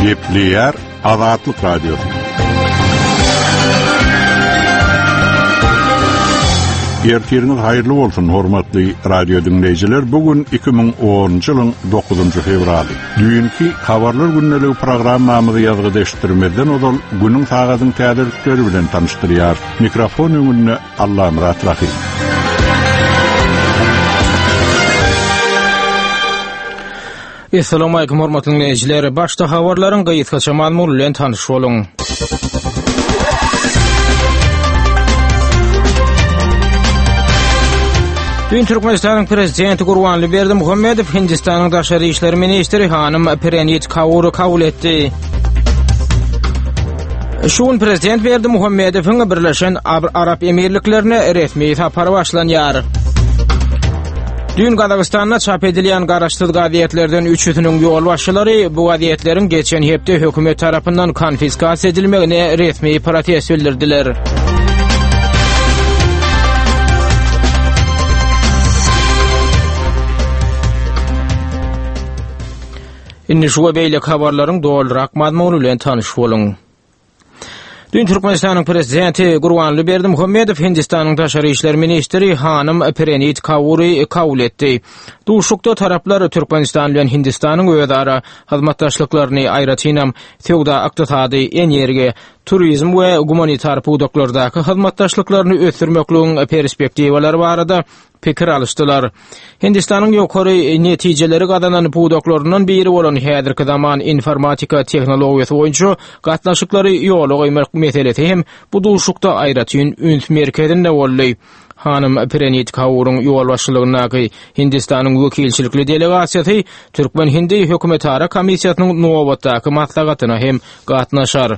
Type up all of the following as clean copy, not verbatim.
Gepleýär Azatlyk Radiosy. Ertiriňiz haýyrly bolsun, hormatly radio diňleýjiler. Bu gün 2010-njy ýylyň 9-njy fewraly. Düýnki Habarlar gündeligi programmamyzy ýazgyda eşitdirmezden ozal günüň sagadyň täzelikleri bilen tanyşdyrýar. Mikrofon öňünde Allamyrat Rahym. Essalamu hormatly dinleýjiler. Başda habarlaryň gysgaça mazmuny bilen tanyş boluň. Düýn Türkmenistanyň Prezidenti Gurbanly Berdimuhamedow Hindistanyň daşary işler ministri hanym Prenit Kaury kabul etdi. Şu gün Prezident Berdimuhamedowyň Birleşen Arap Emirliklerine resmi sapary başlanýar. Düýn Gazagystanda çap edilýän garaşsyz gazetlerden üçüsiniň ýolbaşçylary bu gazetleriň geçen hepde hökümet tarapyndan konfiskasiýa edilmegine resmi protest bildirdiler. Indi şu we beýleki habarlaryň dolurak mazmuny bilen tanyş boluň. Düýn Türkmenistanyň Prezidenti Gurbanguly Berdimuhamedow Hindistanyň daşary işler ministri hanym Prenit Kaury kabul etdi. Duşuşykda taraplar Türkmenistan bilen Hindistanyň özara hyzmatdaşlyklaryny, aýratynam, söwda-ykdysady, energiýa, turizm we gumanitar pudaklardaky hyzmatdaşlyklaryny ösdürmekligiň perspektiwalary barada pikir alyşdylar. Hindistanyň ýokary netijeleri gazanan pudaklaryndan biri bolan häzirki zaman informatika tehnologiýasy boýunça gatnaşyklary ýola goýmak meselesi hem bu duşuşykda aýratyn üns merkezinde boldy. Hanym Prenit Kauryň ýolbaşçylygyndaky Hindistanyň wekilçilikli delegasiýasy Türkmen-hindi hökümetara komissiýasynyň nobatdaky maslahatyna hem gatnaşar.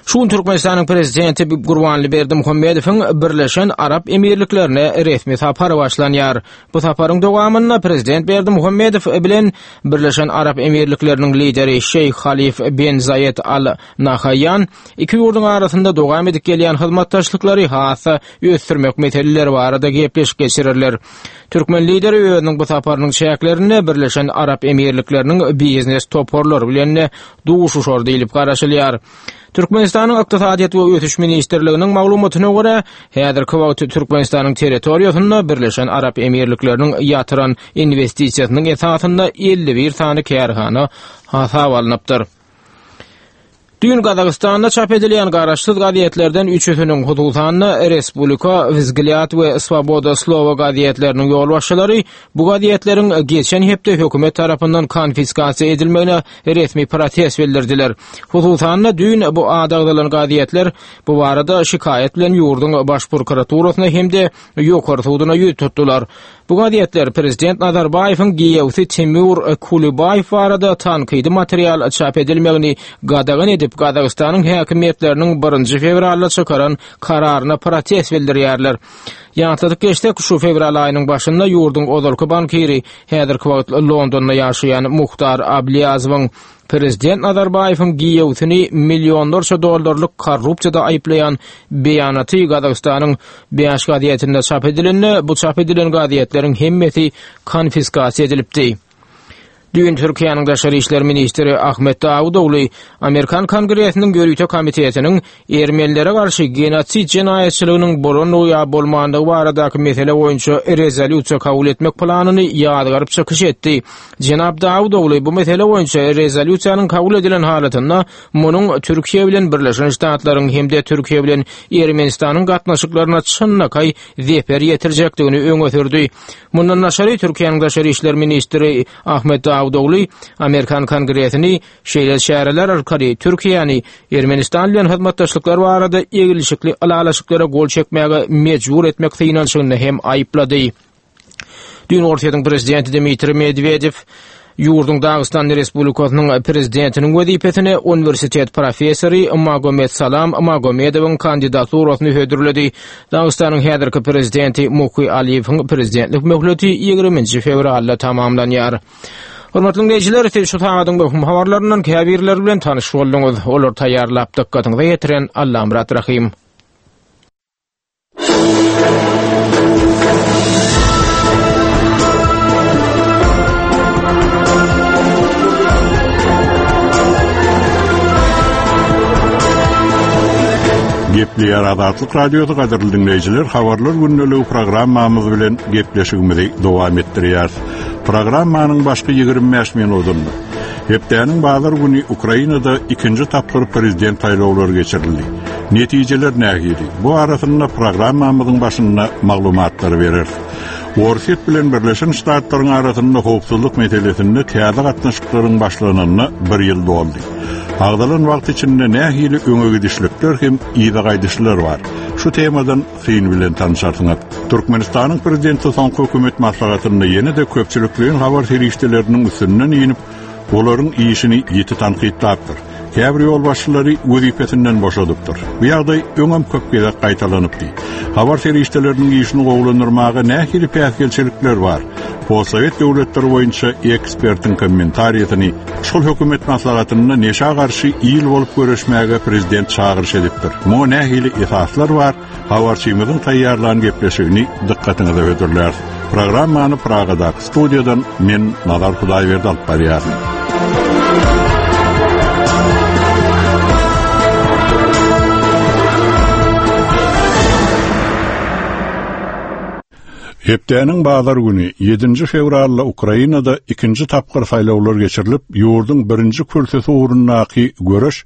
Şu gün Türkmenistanyň Prezidenti Gurbanly Berdimuhamedowyň Birleşen Arap Emirliklerine resmi sapary başlanýar. Bu saparyň dowamynda Prezident Berdimuhamedow bilen Birleşen Arap Emirlikleriniň lideri Şeýh Halif ben Zaýed Al Nahaýan iki ýurduň arasynda dowam edip gelýän hyzmatdaşlyklary has-da ösdürmek meseleleri barada gepleşik geçirerler. Türkmen lideri özüniň bu saparynyň çäklerinde Birleşen Arap Emirlikleriniň biznes toparlary bilen duşuşar diýlip garaşylýar. Türkmenistanyň Ykdysadyýet we ösüş ministrliginiň maglumatyna görä, häzirki wagt Türkmenistanyň territoriýasynda Birleşen Arap Emirlikleriniň ýatyran inwestisiýasynyň esasynda 51 sany kärhana hasaba alnypdyr. Düýn Gazagystanda çap edilýän garaşsyz gazetlerden üçüsiniň, hususan-da, Respublika, Wzglýad we Swoboda Slowa gazetleriniň ýolbaşçylary bu gazetleriň geçen hepde hökümet tarapyndan konfiskasiýa edilmegine resmi protest bildirdiler. Hususan-da, düýn bu ady agzalan gazetler bu barada şikaýat bilen ýurduň Baş prokuraturasyna hem-de Ýokary suduna ýüz tutdular. Bu gazetler prezident Nazarbaýewiň giýewsi Timur Kulibaýew barada tankydy material çap edilmegini gadagan edip, Gazagystanyň häkimiýetleriniň birinji fewralda çykaran kararyna protest bildirýärler. Ýatladyp geçsek, şu fewral aýynyň başynda ýurduň ozalky bankiri, häzirki wagt Londonda ýaşaýan Muhtar Ablýazowyň Prezident Nazarbaýewiň giýewsini millionlarça dollarlyk korrupsiýada aýyplaýan beýanaty Gazagystanyň bäş gazetinde çap edilende, bu çap edilen gazetleriň hemmesi konfiskasiýa edilipdi. Düýn Türkiýäniň daşary işler ministri Ahmet Dawutogly Amerikan Kongresiniň ýörite komitetiniň ermenilere garşy genosid jenaýatçylygynyň bolandygy ýa bolmandygy baradaky mesele boýunça rezolýusiýa kabul etmek planyny ýazgaryp çykyş etdi. Jenap Dawutogly bu mesele boýunça rezolýusiýanyň kabul edilen halatynda munuň Türkiýe bilen Birleşen Ştatlaryň hem-de Türkiýe bilen Ermenistanyň gatnaşyklaryna çynlakaý zeper ýetirjekdigini öňe sürdi. Mundan daşary, Türkiýäniň daşary işler ministri Ahmet Dawutogly Amerikan Kongresini Şeýle çäreler arkaly Türkiýäni Ermenistan bilen hyzmatdaşlyklar barada eglişikli ylalaşyklara gol çekmäge mejbur etmek synanyşygynda hem aýyplady. Düýn Orsýetiň prezidenti Dmitriý Medwedew ýurduň Dagystan Respublikasynyň prezidentiniň wezipesine uniwersitet professory Magomed Salam Magomedowyň kandidaturasyny hödürledi. Dagystanyň häzirki prezidenti Muhy Aliýewiň prezidentlik möhleti 20-nji fewralda tamamlanýar. Hormatly diňleýjiler, siz şu sagadyň möhüm habarlaryndan käbirleri bilen tanyş bolduňyz. Olary taýýarlap dykgatyňyza ýetiren Allamyrat Rahym. Azatlyk Radiosy gadyrly diňleýjiler habarlar gündeligi programmamyz bilen gepleşigimizi dowam etdirýäris. Programmanyň başky 25 minutynda hepdäniň bazar güni Ukrainada ikinji tapgyr prezident saýlawlary geçirildi. Netijeler nähili? Bu arasynda programmamyzyň başynda maglumatlary bereris. Orsýet bilen Birleşen Ştatlaryň arasynda howpsuzlyk meselesinde täze gatnaşyklaryň başlanyna bir ýyl doldy. Agzalan wagt içinde nähili öňe gidişlikler hem yza gaýdyşlar bar? Şu temadan syn bilen tanyşarsyňyz. Türkmenistanyň Prezidenti soňky hökümet maslahatynda ýene-de köpçülikleýin habar serişdeleriniň üstünden inip, olaryň işini ýiti tankytlapdyr. Käbir ýolbaşçylary wezipesinden boşadypdyr. Bu ýagdaý öňem köp gezek gaýtalanypdy. Habar serişdeleriniň işini gowulandyrmaga nähili päsgelçilikler bar? Postsowet döwletleri boýunça ekspertiň kommentariýasyny şol hökümet maslahatynda neşä garşy il bolup göreşmäge prezident çagyryş edipdir. Muňa nähili esaslar bar? Habarçymyzyň taýýarlan gepleşigini dykgatyňyza hödürläris. Programmany Pragadaky studiýadan men Nazar Hudaýberdi alyp barýaryn. Hepdäniň bazar güni, ýedinji fewralda Ukrainada ikinji tapgyr saýlawlar geçirilip, ýurduň birinji kürsüsi ugrundaky göreş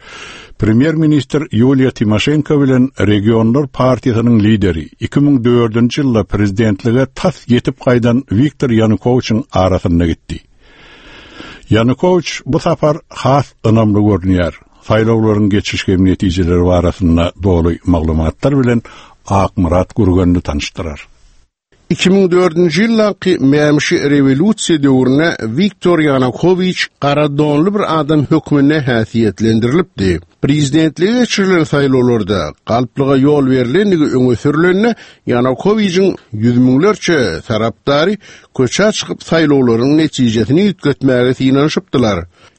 premýer-ministr Ýuliýa Timoşenko bilen Regionlar partiýasynyň lideri, 2004-nji ýylda prezidentlige tas ýetip gaýdan Wiktor Ýanukowiçiň arasynda gitdi. Ýanukowiç bu sapar has ynamly görünýär. Saýlawlaryň geçiş hem netijeleri barasynda doly maglumatlar bilen Akmyrat Gürgenli tanyşdyrar. 2004-nji ýyldaky mämişi rewolýusiýa döwründe Wiktor Ýanukowiç gara donly bir adam hökmünde häsiýetlendirilipdi. Prezidentlige geçirilen saýlawlarda galplyga ýol berlendigi öňe sürlende, Ýanukowiçiň ýüz müňlerçe tarapdary köçä çykyp saýlawlaryň netijesini üýtgetmäge synanyşypdylar.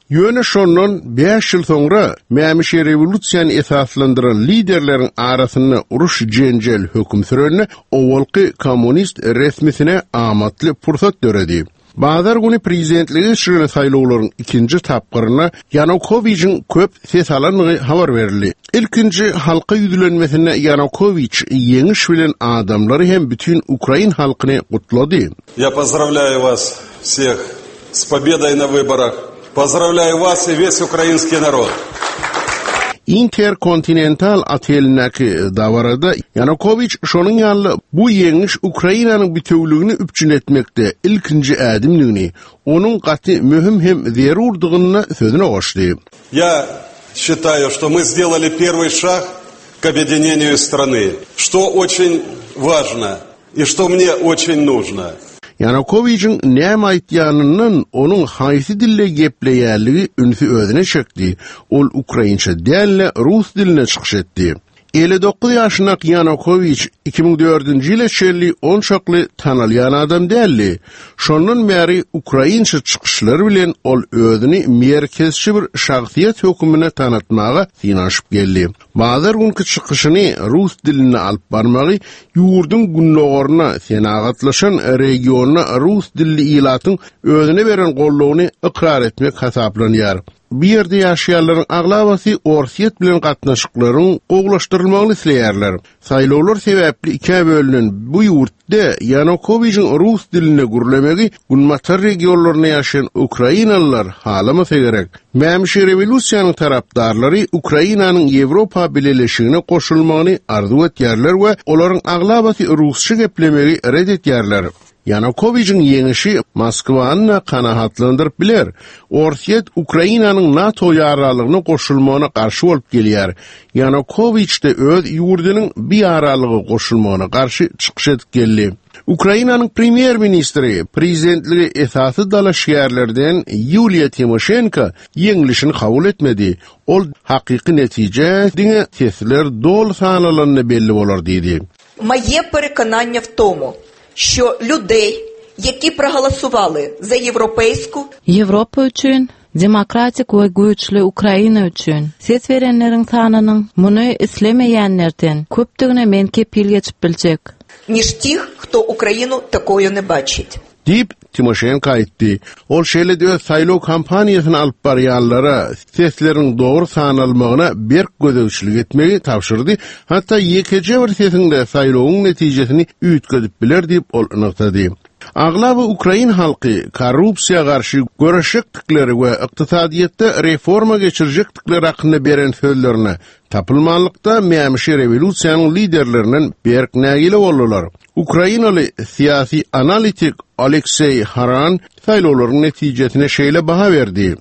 Ýöne şondan bäş ýyl soňra mämişi rewolýusiýany esaslandyran liderleriň arasynda uruş-jenjel höküm sürende owalky kommunist resmisine amatly pursat döredi. Bazar güni prezidentlige geçirilen saýlawlaryň ikinji tapgyrynda Ýanukowiçiň köp ses alandygy habar berildi. Ilkinji halka ýüzlenmesinde Ýanukowiç ýeňiş bilen adamlary hem bütin ukrain halkyny gutlady. Ýa pozdrawlýaýu was wseh s pobedoi na wyborah. Pozdrawlýaýu was i wes ukrainskiý narod. Interkontinental otelindäki dabarada Ýanukowiç şonuň ýaly bu ýeňiş Ukrainanyň bitewüligini üpjün etmekde ilkinji ädimdigini, onuň gaty möhüm hem zerurdygyny sözüne goşdy. Ýa şitaýu, şto my sdelali perwyý şag k obýedineniýu strany, şto oçin wažno i şto mne oçin nužno. Ýanukowiçiň näme aýtýanyndan onuň haýsy dilde gepleýänligi ünsi özüne çekdi, ol ukrainçe däl-de, rus dilinde çykyş etdi. 59 ýaşyndaky Ýanukowiç 2004-nji ýyla çenli onçakly tanalýan adam däldi. Şondan bäri ukrainçe çykyşlary bilen ol özüni merkezçi bir şahsyýet hökmünde tanatmaga synanyşyp geldi. Bazar günki çykyşyny rus dilinde alyp barmagy ýurduň gündogarynda senagatlaşan regionda rus dilli ilatyň özüne beren goldawyny ykrar etmek hasaplanýar. Bu ýerde ýaşaýanlaryň aglabasy Orsýet bilen gatnaşyklaryň gowulaşdyrylmagyny isleýärler. Saýlawlar sebäpli ikä bölünen bu ýurtda Ýanukowiçiň rus dilinde gürlemegi günbatar regionlarynda ýaşaýan ukrainalylar halamasa gerek. Mämişi rewolýusiýanyň tarapdarlary Ukrainanyň Ýewropa Bileleşigine goşulmagyny arzuw etýärler we olaryň aglabasy rusça geplemegi ret edýärler. Ýanukowiçiň ýeňişi Moskwany-da kanagatlandyryp biler. Orsýet Ukrainanyň NATO ýararlygyna goşulmagyna garşy bolup gelýär. Ýanukowiç-de öz ýurdunyň bu ýararlyga goşulmagyna garşy çykyş edip geldi. Ukrainanyň premýer-ministri, prezidentlige esasy dalaşgärlerden Ýuliýa Timoşenko ýeňlişini kabul etmedi. Ol hakyky netije diňe sesler doly sanalanda belli bolar diýdi. Moje perekonanje w tomu, şo ľudej, ýeki proholosowaly za ýewropeýsku, Ýewropa üçin, demokratik we güýçli Ukraina üçin ses berenleriň sanynyň muny islemeýänlerden köpdügine men kepil geçip biljek. Niž tih, hto Ukrainu takoju ne bačit. Diýip, Timoşenko aýtdy. Ol şeýle-de öz saýlaw kampaniýasyny alyp barýanlara sesleriň dogry sanalmagyna berk gözegçilik etmegi tabşyrdy, hatda ýekeje bir sesiň-de saýlawyň netijesini üýtgedip biler diýip, ol nygtady. Aglaba ukrain halky korrupsiýa garşy göreşjekdikleri we ykdysadyýetde reforma geçirjekdikleri hakynda beren sözlerine tapylmanlykda mämişi rewolýusiýanyň liderlerinden berk nägile boldular. Ukrainaly syýasy analitik Alekseý Haran saýlawlaryň netijesine şeýle baha berdi.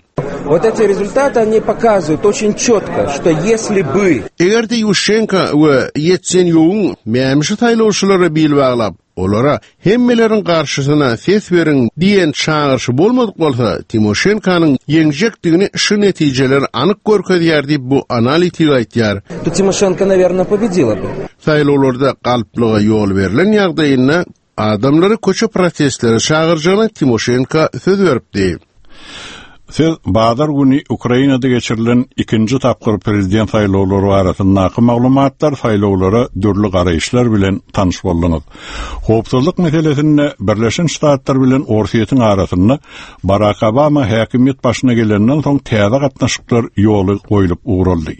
Vot eti rezultaty oni pokazywayut oçin çotko, şto ýesli by. Eger-de Ýuşenko we Ýetsenýugyň mämişi saýlawçylara bil baglap, Olara Hemmeleriň garşysyna ses beriň diýen çagyryşy bolmadyk bolsa, Timoşenkonyň ýeňjekdigini şu netijeler anyk görkezýär diýip, bu analitik aýtýar. To Timoşenko, nawerno, pobedila by. Saýlawlarda galplyga ýol berlen ýagdaýynda adamlary köçe protestlere çagyrjagyna Timoşenko söz beripdi. Siz bazar güni Ukrainada geçirilen ikinji tapgyr prezident saýlawlary barasyndaky maglumatlar, saýlawlara dürli garaýyşlar bilen tanyş bolduňyz. Howpsuzlyk meselesinde Birleşen Ştatlar bilen Orsýetiň arasynda Barak Obama häkimiýet başyna gelenden soň täze gatnaşyklar ýoly goýlup ugraldy.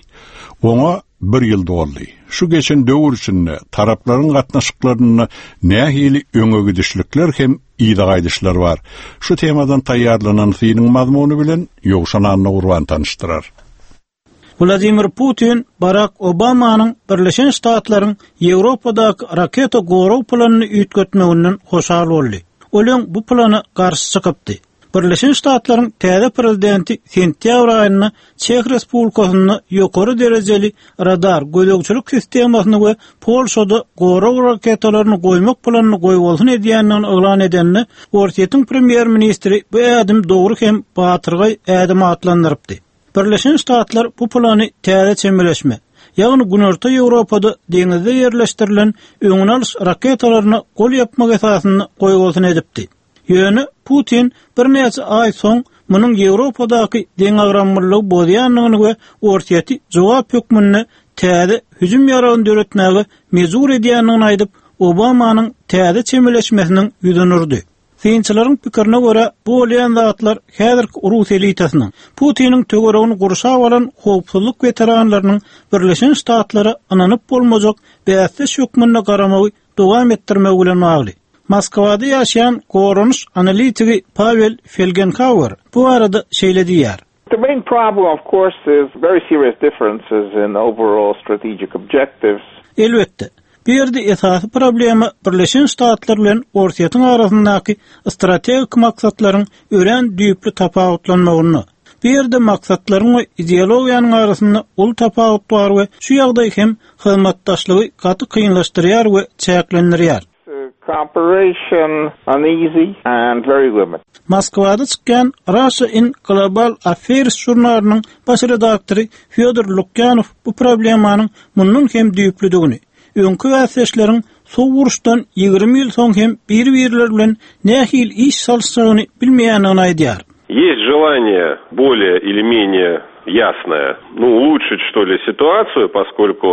Oňa bir ýyl doldy. Şu geçen döwür içinde taraplaryň gatnaşyklarynda nähili öňe gidişlikler hem yza gaýdyşlar bar. Şu temadan taýýarlanan synyň mazmuny bilen Ýowşan Annagurban tanyşdyrar. Wladimir Putin Barak Obamanyň Birleşen Ştatlaryň Ýewropadaky raketa gorag planyny üýtgetmeginden hoşal boldy. Ol öň bu plana garşy çykypdy. Birleşen Ştatlaryň täze prezidenti sentýabr aýynda Çeh Respublikasynda ýokary derejeli radar gözegçilik sistemasyny we Polşada gorag raketalaryny goýmak planyny goýbolsun edýändigini yglan edende, Orsýetiň premýer-ministri bu ädim dogry hem batyrgaý ädim atlandyrypdy. Birleşen Ştatlar bu plany täze çemeleşme, ýagny Günorta Ýewropada deňizde ýerleşdirilen öňüni alyş raketalaryna gol ýapmak esasynda goýbolsun edipdi. Ýöne Putin birnäçe aý soň munuň Ýewropadaky deňagramlylygy bozýandygyny we Orsýeti jogap hökmünde täze hüjüm ýaragyny döretmäge mejbur edýändigini aýdyp, Obamanyň täze çemeleşmesiniň ýüzüni urdy. Synçylaryň pikirine görä, bu bolýan zatlar häzirki rus elitasynyň, Putiniň töweregini gurşap alan howpsuzlyk weteranlarynyň Birleşen Ştatlara ynanyp bolmajak bäsdeş hökmünde garamagy dowam etdirmegi bilen bagly. Moskwada ýaşaýan goranyş analitigi Pawel Felgenhauer bu barada şeýle diýýär. The main problem, of course, is very serious differences in overall strategic objectives. Elbetde, bu ýerde esasy problema Birleşen Ştatlar bilen Orsýetiň arasyndaky strategik maksatlaryň örän düýpli tapawutlanmagynda. Bu ýerde maksatlaryň we ideologiýanyň arasynda uly tapawut bar we şu ýagdaý hem hyzmatdaşlygy gaty kynlaşdyrýar we çäklendirýär. Cooperation uneasy and very limited. Moskwada çykýan Russia in Global Affairs žurnalynyň baş redaktory Fýodor Lukýanow bu problemanyň mundan hem düýplüdigini, öňki bäsdeşleriň Sowuk uruşdan 20 ýyl soň hem bir-birleri bilen nähili iş salyşjagyny bilmeýändigini aýdýar. Есть желание более или менее ясное, ну, улучшить, что ли, ситуацию, поскольку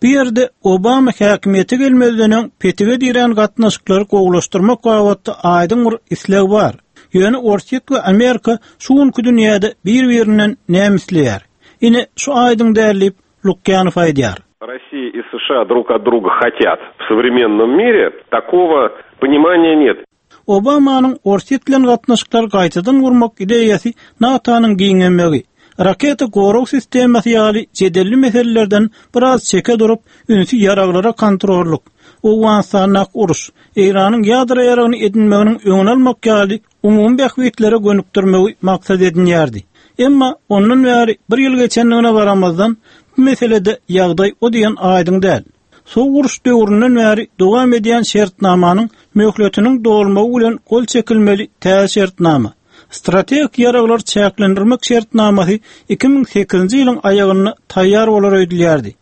Bu ýerde Obama häkimiýete gelmezden öň petige dirän gatnaşyklary gowulaşdyrmak babatda aýdyň bir isleg bar. Ýöne Orsýet we Amerika şu günki dünýäde bir-birinden näme isleýär? Ine, şu aýdyň däl diýip, Lukýanow aýdýar. Россия и США друг от друга хотят в современном мире, такого понимания нет. Obamanyň Orsýet bilen gatnaşyklary gaýtadan gurmak ideýasy NATO-nyň giňemegi, raketa gorag sistemasy ýaly jedelli meselelerden biraz çeke durup, ünsi ýaraglara kontrollyk, Owganystandaky uruş, Eýranyň ýadro ýaragyny edinmeginiň öňüni almak ýaly umumy bähbitlere gönükdirmegi maksat edinýärdi. Emma ondan bäri bir ýyl geçendigine garamazdan, bu meselede ýagdaý o diýen aýdyň däl. Sowuk uruş döwründen bäri dowam edýän şertnamanyň möhletiniň dolmagy bilen gol çekilmeli täze şertnama, Strategik ýaraglary çäklendirmek şertnamasy 2008-nji ýylyň aýagynda taýýar bolar öýdülýärdi.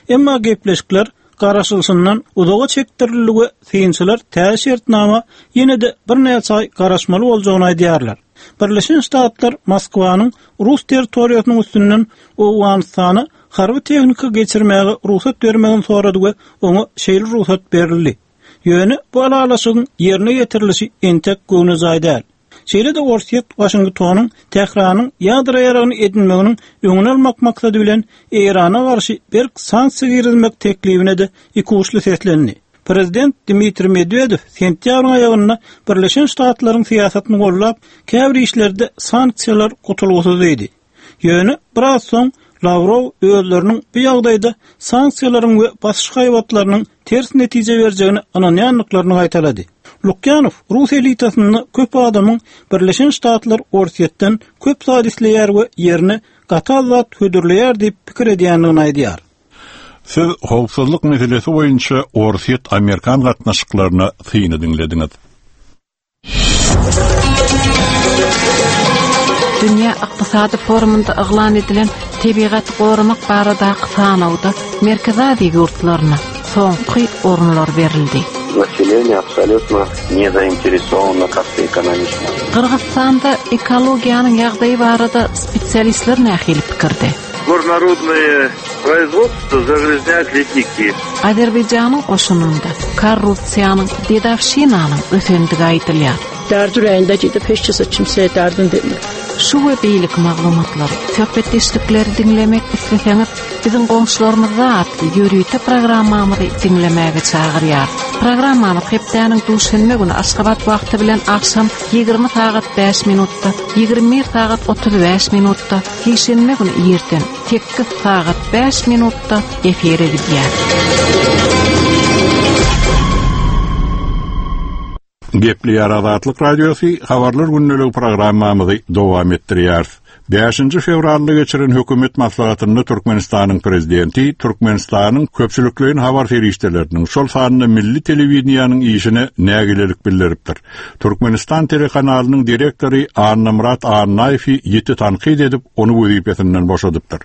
Emma gepleşikler garaşylyşyndan uzaga çekdirildi we synçylar täze şertnama ýene-de birnäçe aý garaşmaly boljagyny aýdýarlar. Birleşen Ştatlar Moskwanyň rus territoriýasynyň üstünden Owganystana harby tehnika geçirmäge rugsat bermegini sorady we oňa şeýle rugsat berildi. Ýöne bu ylalaşygyň ýerine ýetirilişi entek göwnejaý däl. Şeýle-de Orsýet Waşingtonyň Tähranyň ýadro ýaragyny edinmeginiň öňüni almak maksady bilen Eýrana garşy berk sanksiýa girizmek teklibine-de ikuçly seslendi. Prezident Dmitriý Medwedew sentýabryň aýagynda Birleşen Ştatlaryň syýasatyny goldap, käbir işlerde sanksiýalar gutulgysyz diýdi. Ýöne biraz soň Lawrow özleriniň bu ýagdaýda sanksiýalaryň we basyş haýbatlarynyň ters netije berjegine ynanýandyklaryny gaýtalady. Lukýanow rus elitasynda köp adamyň Birleşen Ştatlar Orsýetden köp zat isleýär we ýerine gaty az zat hödürleýär diýip pikir edýändigini aýdýar. Siz howpsuzlyk meselesi boýunça orsýet-amerikan gatnaşyklaryna syny diňlediňiz. Dünýä ykdysady forumynda yglan edilen tebigaty goramak baradaky sanawda Merkezi Aziýa ýurtlaryna soňky orunlar berildi. Naseleniýe absolýutno ne zainteresowano как-то ekonomiçno. Gyrgyzystanda ekologiýanyň ýagdaýy barada spesialistler nähili pikirde? Горнорудное производство загрязняет ледники. Azerbaýjanyň goşunynda korrupsiýanyň, dedowşinanyň ösendigi aýdylýar. Därdi ürəyində gedib heç kəsə kimsəyə dərdini demir. Şu we beýleki maglumatlary, söhbetdeşlikleri diňlemek isleseňiz, Biziň goňşularymyzda atly ýörite programmamyzy diňlemäge çagyrýarys. Programmamyz hepdäniň duşenbe güni Aşgabat wagty bilen agşam 20 sagat 5 minutda, 21 sagat 35 minutda, Sişenbe güni irden 8 sagat 5 minutda efire gidýär. Gepleýär Azatlyk Radiosy, Habarlar gündeligi programmamyzy dowam etdirýäris. Bäşinji fewralda geçiren hökümet maslahatynda Türkmenistanyň Prezidenti Türkmenistanyň köpçülikleýin habar serişdeleriniň, şol sanda milli telewideniýäniň işine nägilelik bildiripdir. Türkmenistan telekanalynyň direktory Annamyrat Annaýewi ýiti tankyt edip, ony wezipesinden boşadypdyr.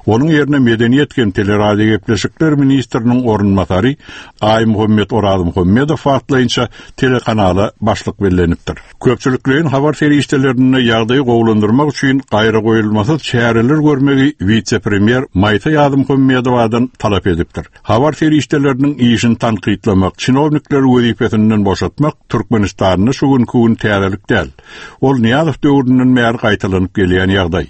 Onuň ýerine medeniýet hem teleradiogepleşikler ministriniň orunbasary Aýmuhammet Orazmuhammedow wagtlaýynça telekanala başlyk bellenipdir. Köpçülikleýin habar serişdelerinde ýagdaýy gowulandyrmak üçin gaýragoýulmasyz çäreler görmegi wise-premýer Maýsa Ýazmuhammedowadan talap edipdir. Habar serişdeleriniň işini tankytlamak, çinownikleri wezipesinden boşatmak Türkmenistanda şu günki gün täzelik däl. Ol Nyýazow döwründen bäri gaýtalanyp gelýän ýagdaý.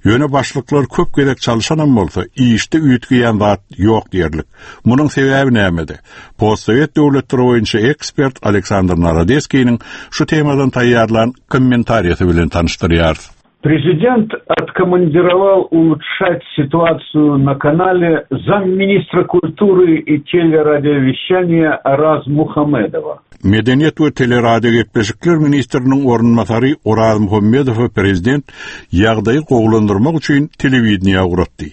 Ýöne başlyklar köp gezek çalşanam bolsa, işde üýtgeýän zat ýok diýerlik. Munuň sebäbi nämede? Postsowet döwletleri boýunça ekspert Aleksandr Narodeskiniň şu temadan taýýarlan kommentariýasy bilen tanyşdyrýarys. Prezident откомандировал улучшать ситуацию на канале замминистра культуры и телерадиовещания Oraz Muhammedowa. Medeniýet we teleradiogepleşikler ministriniň orunbasary Oraz Muhammedowy prezident ýagdaýy gowulandyrmak üçin telewideniýä ugratdy.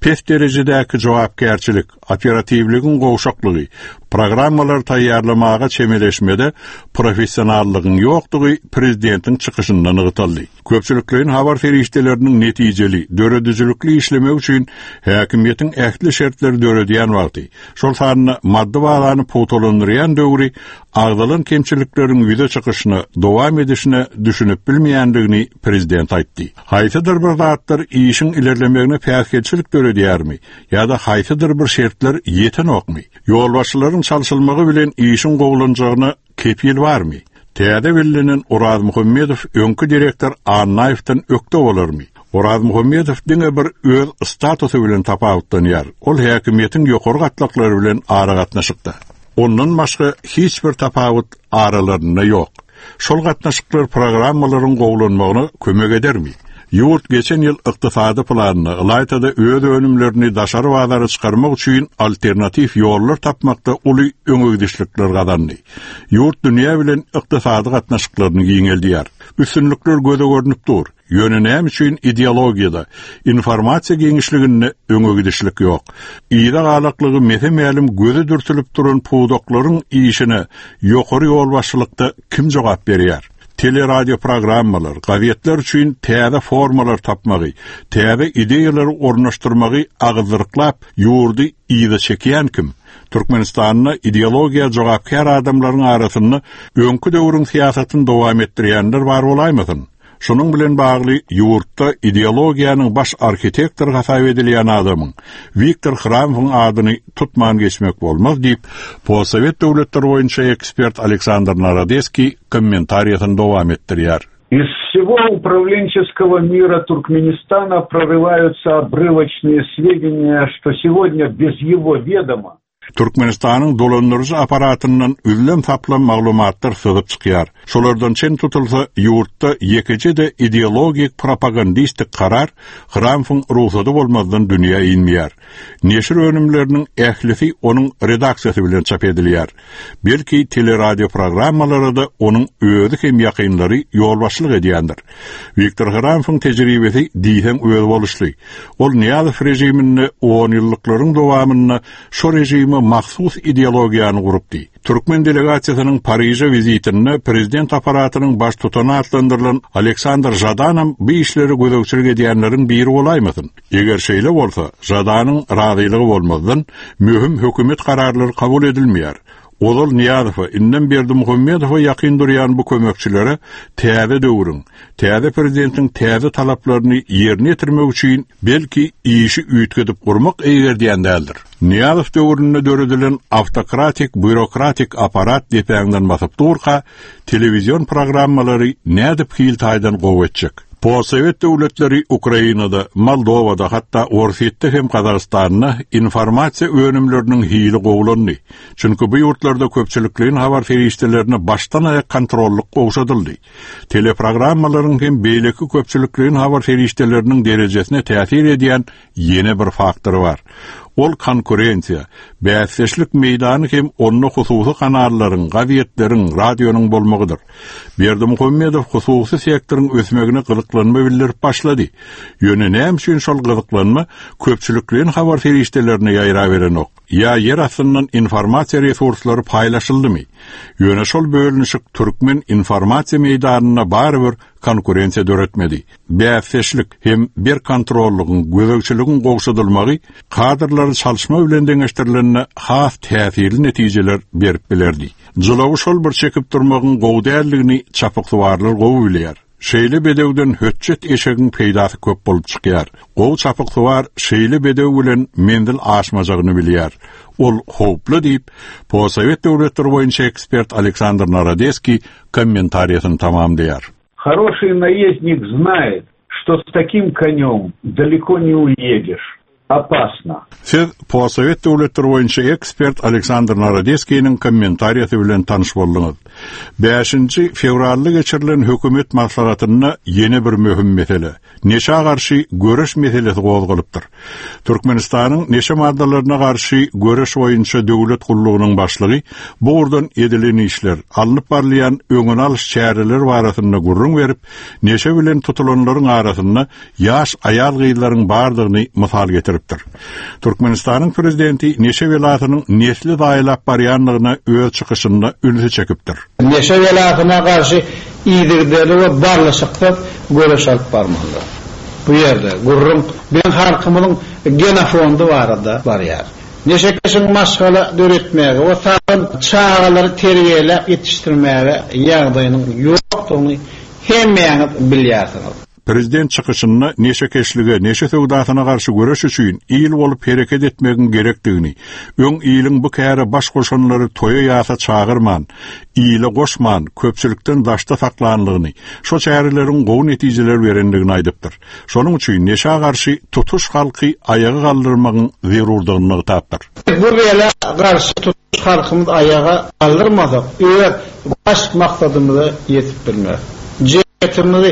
Pes derejedäki jogapkärçilik, operatiwligiň gowşaklygy, programmalary taýýarlamaga çemeleşmede professionallygyň ýokdugy prezidentiň çykyşynda nygtaldy. Köpçülikleýin habar serişdeleriniň netijeli, döredijilikli işlemegi üçin häkimiýetiň ähli şertleri döredýän wagty, şol sanda maddy bazany pugtalandyrýan döwri agzalan kemçilikleriň ýüze çykyşyna, dowam edişine düşünip bilmeýändigini prezident aýtdy. Haýsydyr bir zatlar işiň ilerlemegine päsgelçilik döredýärmi ýa-da haýsydyr bir şertler ýetenokmy? Ýolbaşçylaryň çalşylmagy bilen işiň gowulanjagyna kepil barmy? Täze bellenen Orazmuhammedow öňki direktor Annaýewden ökde bolarmy? Orazmuhammedow diňe bir öz statusy bilen tapawutlanýar, ol häkimiýetiň ýokary gatlaklary bilen aragatnaşykda. Ondan başga hiç bir tapawut aralarynda ýok. Şol gatnaşyklar programmalaryň gowulanmagyna kömek edermi? Ýurt geçen ýyl ykdysady planyny, ylaýta-da öz önümlerini daşary bazara çykarmak üçin alternatiw ýollar tapmakda uly öňegidişlikler gazandy. Ýurt dünýä bilen ykdysady gatnaşyklaryny giňeldýär. Üstünlikler göze görnüp dur. Ýöne näme üçin ideologiýada, informasiýa giňişliginde öňe gidişlik ýok? Yza galaklygy mese-mälim göze dürtülip duran pudaklaryň işine ýokary ýolbaşçylykda kim jogap berýär? Teleradioprogrammalar, gazetler üçin täze formalar tapmagy, täze ideýalary ornaşdyrmagy agyzdyryklap, ýurdy yza çekýän kim? Türkmenistanda ideologiýa jogapkär adamlaryň arasynda öňki döwrüň syýasatyny dowam etdirýänler bar bolaýmasyn? Şunuň bilen bagly ýurtda ideologiýanyň baş arhitektory hasap edilýän adamyň, Wiktor Hramowyň adyny tutman geçmek bolmaz diýip, postsowet döwletleri boýunça ekspert Aleksandr Narodeskiý kommentariýasyny dowam etdirýär. Из всего управленческого мира Туркменистана прорываются обрывочные сведения, что сегодня без его ведома Türkmenistanyň dolandyryjy apparatyndan üzlem-saplam maglumatlar syzyp çykýar. Şolardan çen tutulsa, ýurtda ýekeje-de ideologik-propagandistik karar Hramowyň rugsady bolmazdan dünýä inmeýär. Neşir önümleriniň ählisi onuň redaksiýasy bilen çap edilýär. Belki, teleradioprogrammalara-da onuň özi hem ýakynlary ýolbaşçylyk edýändir. Wiktor Hramowyň tejribesi diýseň özboluşly. Ol Nyýazow režiminde onýyllyklaryň dowamynda şo režime mahsus ideologiýany gurupdy. Türkmen delegasiýasynyň Pariže wizitinde prezident apparatynyň baştutany atlandyrylan Aleksandr Žadanam bu işlere gözegçilik edýänleriň biri bolaýmasyn? Eger şeýle bolsa, Žadanyň razylygy bolmazdan, möhüm hökümet kararlary kabul edilmeýär. Ozal Nyýazowa, indem Berdimuhamedowa ýakyn durýan bu kömekçilere täze döwrüň, täze prezidentiň täze talaplaryny ýerine ýetirmek üçin, belki, işi üýtgedip gurmak eýgerdýän däldir. Nyýazow döwründe döredilen awtokratik-býurokratik apparat depäňden basyp durka, telewizion programmalary nädip hil taýdan gowy etjek? Postsowet döwletleri Ukrainada, Moldowada, hatda Orsýetde hem Gazagystanda informasiýa önümleriniň hili gowulandy. Çünki bu ýurtlarda köpçülikleýin habar serişdelerine başdan-aýak kontrollyk gowşadyldy. Teleprogrammalaryň hem beýleki köpçülikleýin habar serişdeleriniň derejesine täsir edýän ýene bir faktor bar. Ol konkurensiýa, bäsdeşlik meýdany hem onda hususy kanallaryň, gazetleriň, radionyň bolmagydyr. Berdimuhamedow hususy sektoryň ösmegine gyzyklanma bildirip başlady. Ýöne näme üçin şol gyzyklanma köpçülikleýin habar serişdelerine ýaýraberenok? Ýa ýer astyndan informasiýa resurslary paýlaşyldymy? Ýöne şol bölünişik türkmen informasiýa meýdanynda barybir konkurensiýa döretmedi. Bäsdeşlik hem berk kontrollygyň, gözegçiligiň gowşadylmagy kadrlary çalyşma bilen deňeşdirilende has täsirli netijeler berip bilerdi. Jylawy şol bir çekip durmagyň gowy däldigini çapyksuwarlar gowy bilýär. Şeýle bedewden hötjet eşegiň peýdasy köp bolup çykýar. Gowy çapyksuwar şeýle bedew bilen menzil aşmajagyny bilýär. Ol howply diýip, postsowet döwletleri boýunça ekspert Aleksandr Narodeskiý kommentariýasyny tamamlaýar. Хороший наездник знает, что с таким конем далеко не уедешь. Опасно. Siz postsowet döwletleri boýunça ekspert Aleksandr Narodeskiniň kommentariýasy bilen tanyş bolduňyz. Bäşinji fewralda geçirilen hökümet maslahatynda ýene bir möhüm mesele, neşä garşy göreş meselesi gozgalypdyr. Türkmenistanyň neşe maddalaryna garşy göreş boýunça döwlet gullugynyň başlygy bu ugurdan edilen işler, alnyp barylýan öňüni alyş çäreler barasynda gürrüň berip, neşe bilen tutulanlaryň arasynda ýaş aýal-gyzlaryň bardygyny mysal getiripdir. Türkmenistanyň prezidenti neşe belasynyň nesli zaýalap barýandygyna öz çykyşynda ünsi çekipdir. Neşe belasyna garşy yzygiderli we barlyşyksyz göreş alyp barmalydyr. Bu ýerde gürrüň biziň halkymyzyň genofondy barada barýar. Neşekeşiň maşgala döretmäge we sagdyn çagalary terbiýeläp ýetişdirmäge ýagdaýynyň ýokdugyny hemmäňiz bilýärsiňiz. Prezident çykyşynda neşekeşlige, neşe söwdasyna garşy göreş üçin il bolup hereket etmegiň gerekdigini, öň iliň bu käre baş goşanlary toýa-ýasa çagyrman, ile goşman, köpçülikden daşda saklanlygyny, şo çäreleriň gowy netijeler berendigini aýdypdyr. Şonuň üçin neşä garşy tutuş halky aýaga galdyrmagyň zerurdygyny nygtapdyr. Bu bela garşy tutuş halkymyzy aýaga galdyrmasak, öz baş maksadymyza ýetip bilmeris. Jemgyýetimizi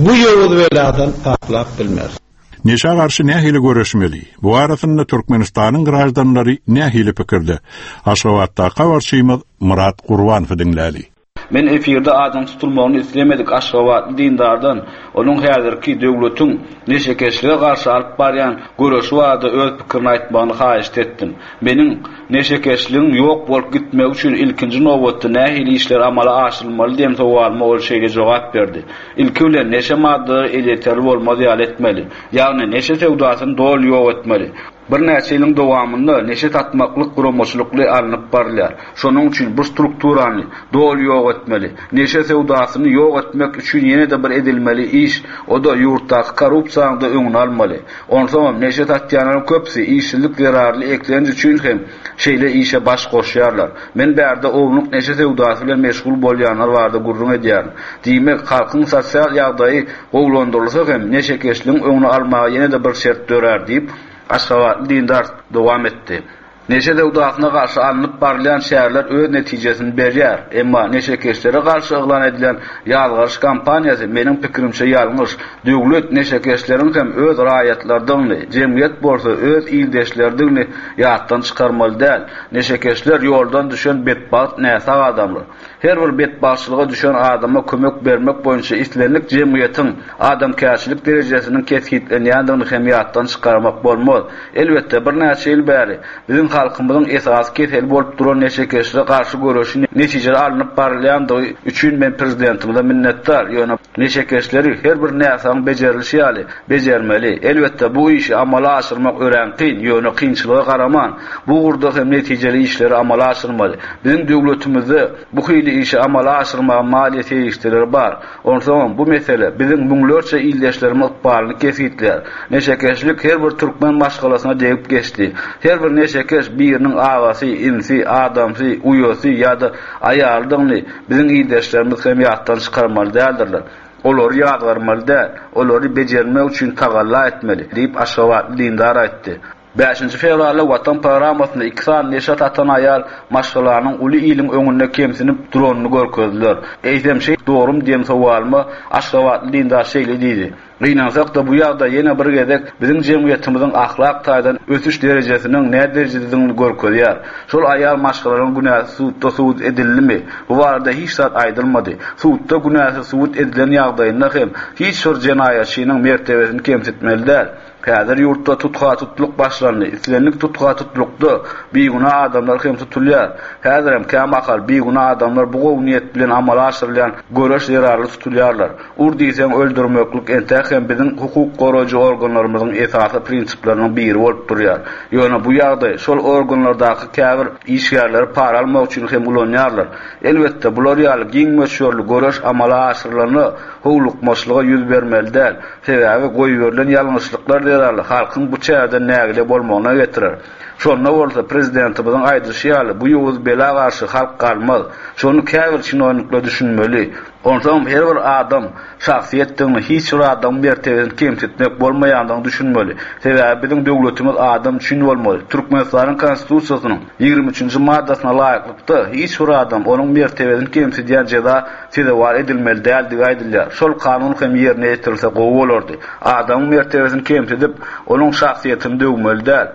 bu ýowuz beladan saplap bilmeris. Neşä garşy nähili göreşmeli? Bu barasynda Türkmenistanyň graždanlary nähili pikirde? Aşgabatdaky habarçymyz Myrat Gurbanowy diňläli. Men efirde adynyň tutulmagyny islemedik aşgabatly dindardan onuň häzirki döwletiň neşekeşlige garşy alyp barýan göreşi barada öz pikirini aýtmagyny haýyşt etdim. Meniň Neşekeşligiň ýok bolup gitmegi üçin ilkinji nobatda nähili işler amala aşyrylmaly diýen sowalyma ol şeýle jogap berdi, Ilki bilen, neşe maddalary elýeterli bolmaz ýaly etmeli. Ýagny, neşe söwdasyny doly ýok etmeli. Birnäçe ýylyň dowamynda neşe satmaklyk guramaçylykly alnyp barylýar. Şonuň üçin bu strukturany doly ýok etmeli. Neşe söwdasyny ýok etmek üçin ýene-de bir edilmeli iş, o-da ýurtdaky korrupsiýanyň-da öňüni almaly. Onsoňam neşe satýanlaryň köpüsi işsizlik zerarly eklenç üçin hem şeýle işe baş goşýarlar. Men bärde ownuk neşe söwdasy bilen meşgul bolýanlar barada gürrüň edýärin. Diýmek, halkyň sosial ýagdaýy gowulandyrylsa hem neşekeşligiň öňüni almaga ýene-de bir şert dörär diýip, aşgabatly dindar dowam etdi. Neşe söwdasyna garşy alnyp barylýan çäreler öz netijesini berýär. Emma neşekeşlere garşy yglan edilen ýazgaryş kampaniýasy, meniň pikirimçe, ýalňyş. Döwlet neşekeşleriň hem öz raýatlarydygyny, jemgyýet bolsa öz ildeşleridigini ýatdan çykarmaly däl. Neşekeşler ýoldan düşen betbagt näsag adamlar. Her bir betbagtçylyga düşen adama kömek bermek boýunça islendik jemgyýetiň adamkärçilik derejesiniň kesgitlenýändigini hem ýatdan çykarmak bolmaz. Elbetde, birnäçe ýyl bäri biziň halkymyzyň esasy keseli bolup duran neşekeşlige garşy göreşi netijeli alnyp barylýandygy üçin men Prezidentimize minnetdar. Ýöne neşekeşleri her bir näsagyň bejerilişi ýaly bejermeli. Elbetde, bu işi amala aşyrmak örän kyn, ýöne kynçylyga garaman, bu ugurda hem netijeli işleri amala aşyrmaly. Biziň döwletimizde bu hili işi amala aşyrmaga maliýe serişdeleri bar. Onsoňam, bu mesele biziň müňlerçe ildeşlerimiň ykbalyny kesgitleýär. Neşekeşlik her bir türkmen maşgalasyna degip geçdi. Her bir neşekeş biriniň agasy, inisi, adamsy, uýasy ýa-da aýalydygyny biziň ildeşlerimiz hem ýatdan çykarmaly däldirler. Olary ýazgarmaly däl, olary bejermek üçin tagalla etmeli, diýip, aşgabatly dindar aýtdy. Bäşinji fewralda Watan programmasynda iki sany neşe satan aýal maşgalanyň uly iliň öňünde kemsinip duranyny görkezdiler. Eýsem şeý dogrumy diýen sowalyma aşgabatly dindar şeýle diýdi, Gynansak-da bu ýagdaý ýene bir gezek biziň jemgyýetimiziň ahlak taýdan ösüş derejesiniň näderejededigini görkezýär. Şol aýal maşgalalaryň günäsi sudda subut edildimi? Bu barada hiç zat aýdylmady. Sudda günäsi subut edilen ýagdaýynda hem hiç bir jenaýatçynyň mertebesini kemsitmeli däl. Häzir ýurtda tutha-tutluk başlandy. Islendik tutha-tutlukda bigünä adamlar hem tutulýar. Häzirem kämahal bigünä adamlar bu gowy niýet bilen amala aşyrylýan göreş zerarly tutulýarlar. Ur diýseň öldürmeklik entäk hem biziň hukuk goraýjy organlarymyzyň esasy prinsipleriniň biri bolup durýar. Ýöne bu ýagdaý şol organlardaky käbir işgärleri para almak üçin hem ulanýarlar. Elbetde, bular ýaly giň möçberli göreş amala aşyrylanda howlukmaçlyga ýüz bermeli däl. Sebäbi goýberilen ýalňyşlyklar zerarly halkyň bu çäreden nägile bolmagyna getirer. Şonda bolsa prezidentimiziň aýdyşy ýaly bu ýowuz bela garşy halk galmaz. Şony käbir çinownikler düşünmeli. Onsoňam her bir adam şahsyýetdigini, hiç bir adamyň mertebesini kemsitmek bolmaýandygyny düşünmeli. Sebäbi biziň döwletimiz adam üçin bolmaly. Türkmenistanyň Konstitusiýasynyň 23-nji maddasyna laýyklykda hiç bir adam onuň mertebesini kemsidýän jeza sezewar edilmeli däldigi aýdylýar. Şol kanun hem ýerine ýetirilse gowy bolardy. Adamyň mertebesini kemsidip, onuň şahsyýetini döwmeli däl.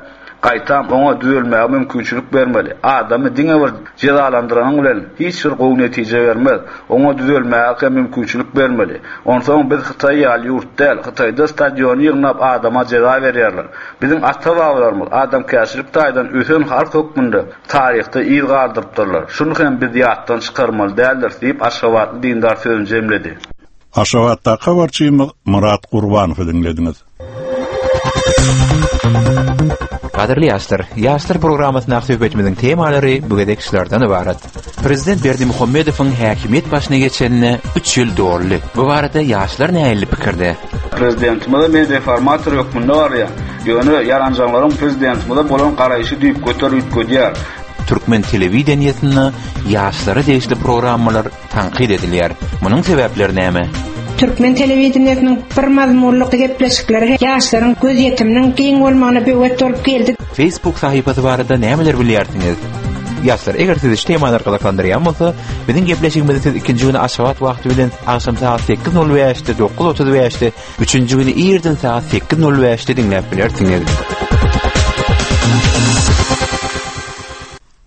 Gaýtam, oňa düzelmäge mümkinçilik bermeli. Adamy diňe bir jezalandyranyň bilen hiç bir gowy netije bermez. Oňa düzelmäge hem mümkinçilik bermeli. Onsoň biz Hytaý ýaly ýurt däl. Hytaýda stadiony ýygnap adama jeza berýärler. Biziň ata-babalarymyz adamkärçilik taýdan ösen halk hökmünde taryhda yz galdyrypdyrlar. Şuny hem biz ýatdan çykarmaly däldiris diýip, aşgabatly dindar sözüni jemledi. Aşgabatdaky habarçymyz Myrat Gurbanowy diňlediňiz. Gadyrly ýaşlar, Ýaşlar programmasyndaky söhbetimiziň temalary bu gezek şulardan ybarat. Prezident Berdimuhamedowyň häkimiýet başyna geçenine üç ýyl doldy. Bu barada ýaşlar nähili pikirde? Prezidentimize men reformator hökmünde garaýan. Ýöne ýaranjaňlaryň prezidentimize bolan garaýşy düýpgöter üýtgedýär. Türkmen telewideniýesinde ýaşlara degişli programmalar tankyt edilýär. Munuň sebäpleri näme? Türkmen telewideniýesiniň bir mazmunly gepleşikleri hem ýaşlaryň gözýetiminiň giň bolmagyna böwet bolup geldi. Facebook sahypasy barada nämeler bilýärsiňiz? Ýaşlar, eger sizi şu temalar gyzyklandyrýan bolsa, biziň gepleşigimizi siz ikinji güni Aşgabat wagty bilen agşam sagat 8:05-de, 9:35-de, üçünji güni irden sagat 8:05-de diňläp bilersiňiz.